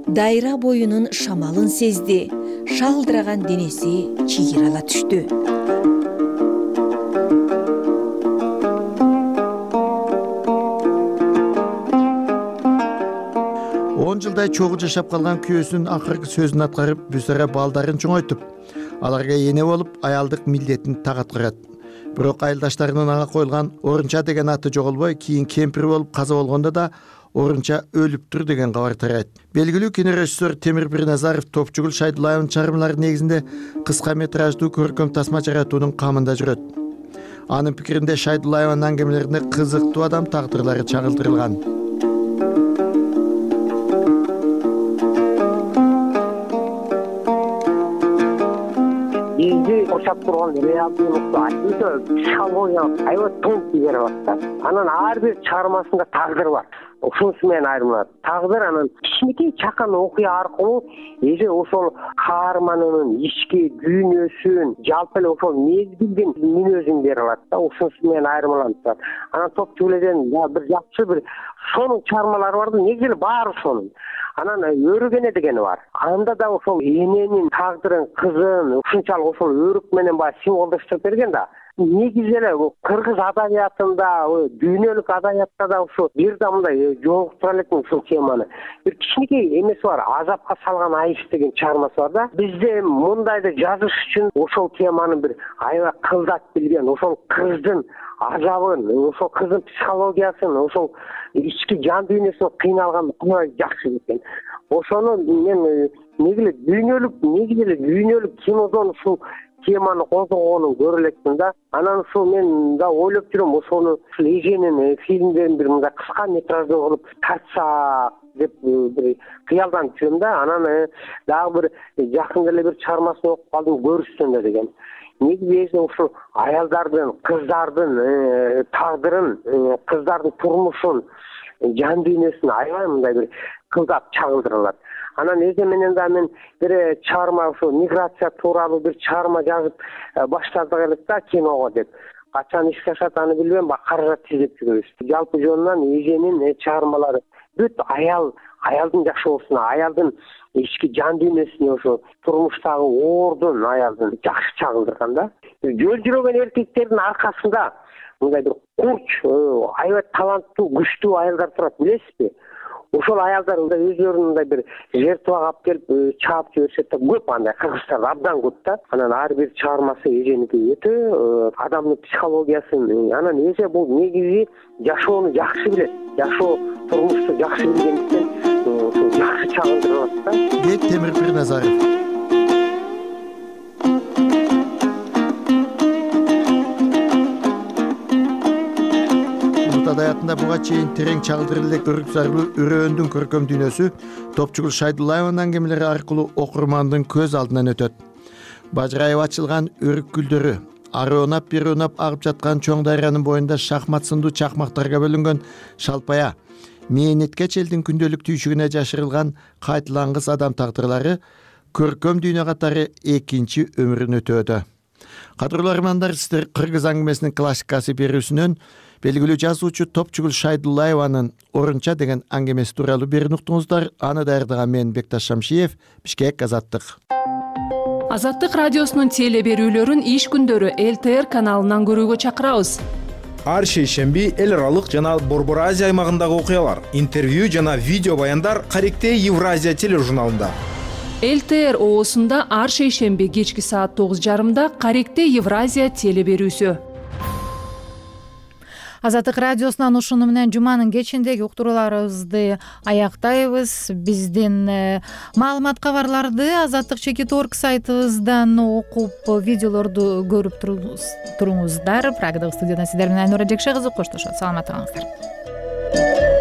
Дайра боюнун шамалын сезди. Шалдыраган денеси чийирала түштү. 10 жылдай чогуу жашап калган күйөөсүнүн акыркы сөзүн аткарып, Бүсара балдарын чоңойтуп, аларга эне болуп, аялдык милдетин так аткарат. Бирок айылдаштарынын ага коюлган Орунча деген аты жоголбой, кийин кемпир болуп каза болгондо да Орунча өлүптүр деген кабар тарайт. Белгилүү кинорежиссер Темир Бирназаров Топчугул Шайдуллаевдин чыгармалары негизинде кыска метраждуу көркөм тасма жаратуунун камында жүрөт. Анын пикиринде Шайдуллаевдин аңгемелеринде кызыктуу адам тагдырлары чагылдырылган. Кошап турган реалдуулукту психологиялык аябай тонкий берип атат. Анан ар бир чыгармасында тагдыр бар. Ушунусу менен айырмаланат. Тагдыр анан кичинекей чакан окуя аркылуу эже ошол каарманынын ички дүйнөсүн, жалпы эле ошол мезгилдин мүнөзүн бере алат да. Ушунусу менен айырмаланып турат. Анан Топчугулден бир жакшы бир сонун чыгармалары бар да, негизи эле баары сонун. Анан өрүгене дегени бар. Анда да ошол эненин тагдырын, кызын ушунчалык ошол өрүк менен баягы символдоштуруп берген да. Негизи эле кыргыз адабиятында, дүйнөлүк адабиятта да ушу бир да мындай жолуктура элекмин ушул теманы. Бир кичинекей эмеси бар, азапка салган айыш деген чыгармасы бар да. Бизде мындайды жазыш үчүн ошол теманы бир аябай кылдат билген, ошол кыздын азабын, ошол кыздын психологиясын, ошол ички жан дүйнөсүн кыйналган жакшы билген. Ошону мен негизи эле дүйнөлүк кинодон ушул теманы козгогонун көрө элекмин да. Анан ушул мен да ойлоп жүрөм, ошону эженин фильмдерин бир мындай кыска метраждуу кылып тартсак деп бир кыялданып жүрөм да. Анан дагы бир жакында эле бир чыгармасын окуп калдым, көрүшсөндө деген. Негизи ушул аялдардын, кыздардын тагдырын, кыздардын турмушун, жан дүйнөсүн аябай мындай бир кылдап чагылдыралат. Анан эже менен да мен бир чыгарма ушул миграция тууралуу бир чыгарма жазып баштадык элек да киного деп. Качан ишке ашат аны билбейм, каражат издеп жүрөбүз. Жалпы жөнүнөн эженин чыгармалары бүт аялдын жашоосуна, аялдын ички жан дүйнөсүнө, ошо турмуштагы оордун аялдын жакшы чагылдырган да. Жөл жүрөгөн эркектердин аркасында мындай бир курч, аябай таланттуу, күчтүү аялдар турат, билесизби? Ошол аялдар өздөрүн мындай бир жертвага алып келип чаап жиберишет да, көп андай кыргызстанда абдан көп да. Анан ар бир чыгармасы эженики өтө адамдын психологиясын, анан эже бул негизи жашоону жакшы билет, жашоо турмушту жакшы билгендиктен ошо жакшы чагылдырылат да. Дейт Темир Бирназаров. Адаятында буга чейин терең чагылдырып элек өрүк зарлуу үрөөндүн көркөм дүйнөсү Топчугул Шайдуллаевдин аңгемелери аркылуу окурмандын көз алдынан өтөт. бажырайып ачылган өрүк гүлдөрү, арыунап бирунап агып жаткан чоң дарыянын боюнда шахмат сындуу чакмактарга бөлүнгөн шалпая, мээнеткеч элдин күндөлүк түйшүгүнө жашырылган кайталангыс адам тагдырлары көркөм дүйнө катары экинчи өмүрүн өтөөдө. Кадырлуу армандар, сиздер кыргыз аңгемесинин классикасы берүүсүнөн белгилүү жазуучу Топчугул Шайдуллаеванын Орунча деген аңгемеси тууралуу берүүнү уктуңуздар. Аны даярдаган мен Бекташ Шамшиев, Бишкек, Азаттык. Азаттык радиосунун теле берүүлөрүн иш күндөрү ЛТР каналынан көрүүгө чакырабыз. Ар шейшемби эл аралык жана Борбор Азия аймагындагы окуялар, интервью жана видео баяндар Каректей Евразия тележурналында. ЛТР оосунда ар шейшемби кечки саат 9:30 Каректей Евразия теле берүүсү. Азаттык радиосунан ушуну менен жуманын кечиндеги уктурууларыбызды аяктайбыз. Биздин маалымат кабарларды Азаттык /org сайтыбыздан окуп, видеолорду көрүп туруңуздар. Прагадагы студиядан сиздер менен Айнура Жекше кызы коштошот. Саламатта калыңыздар.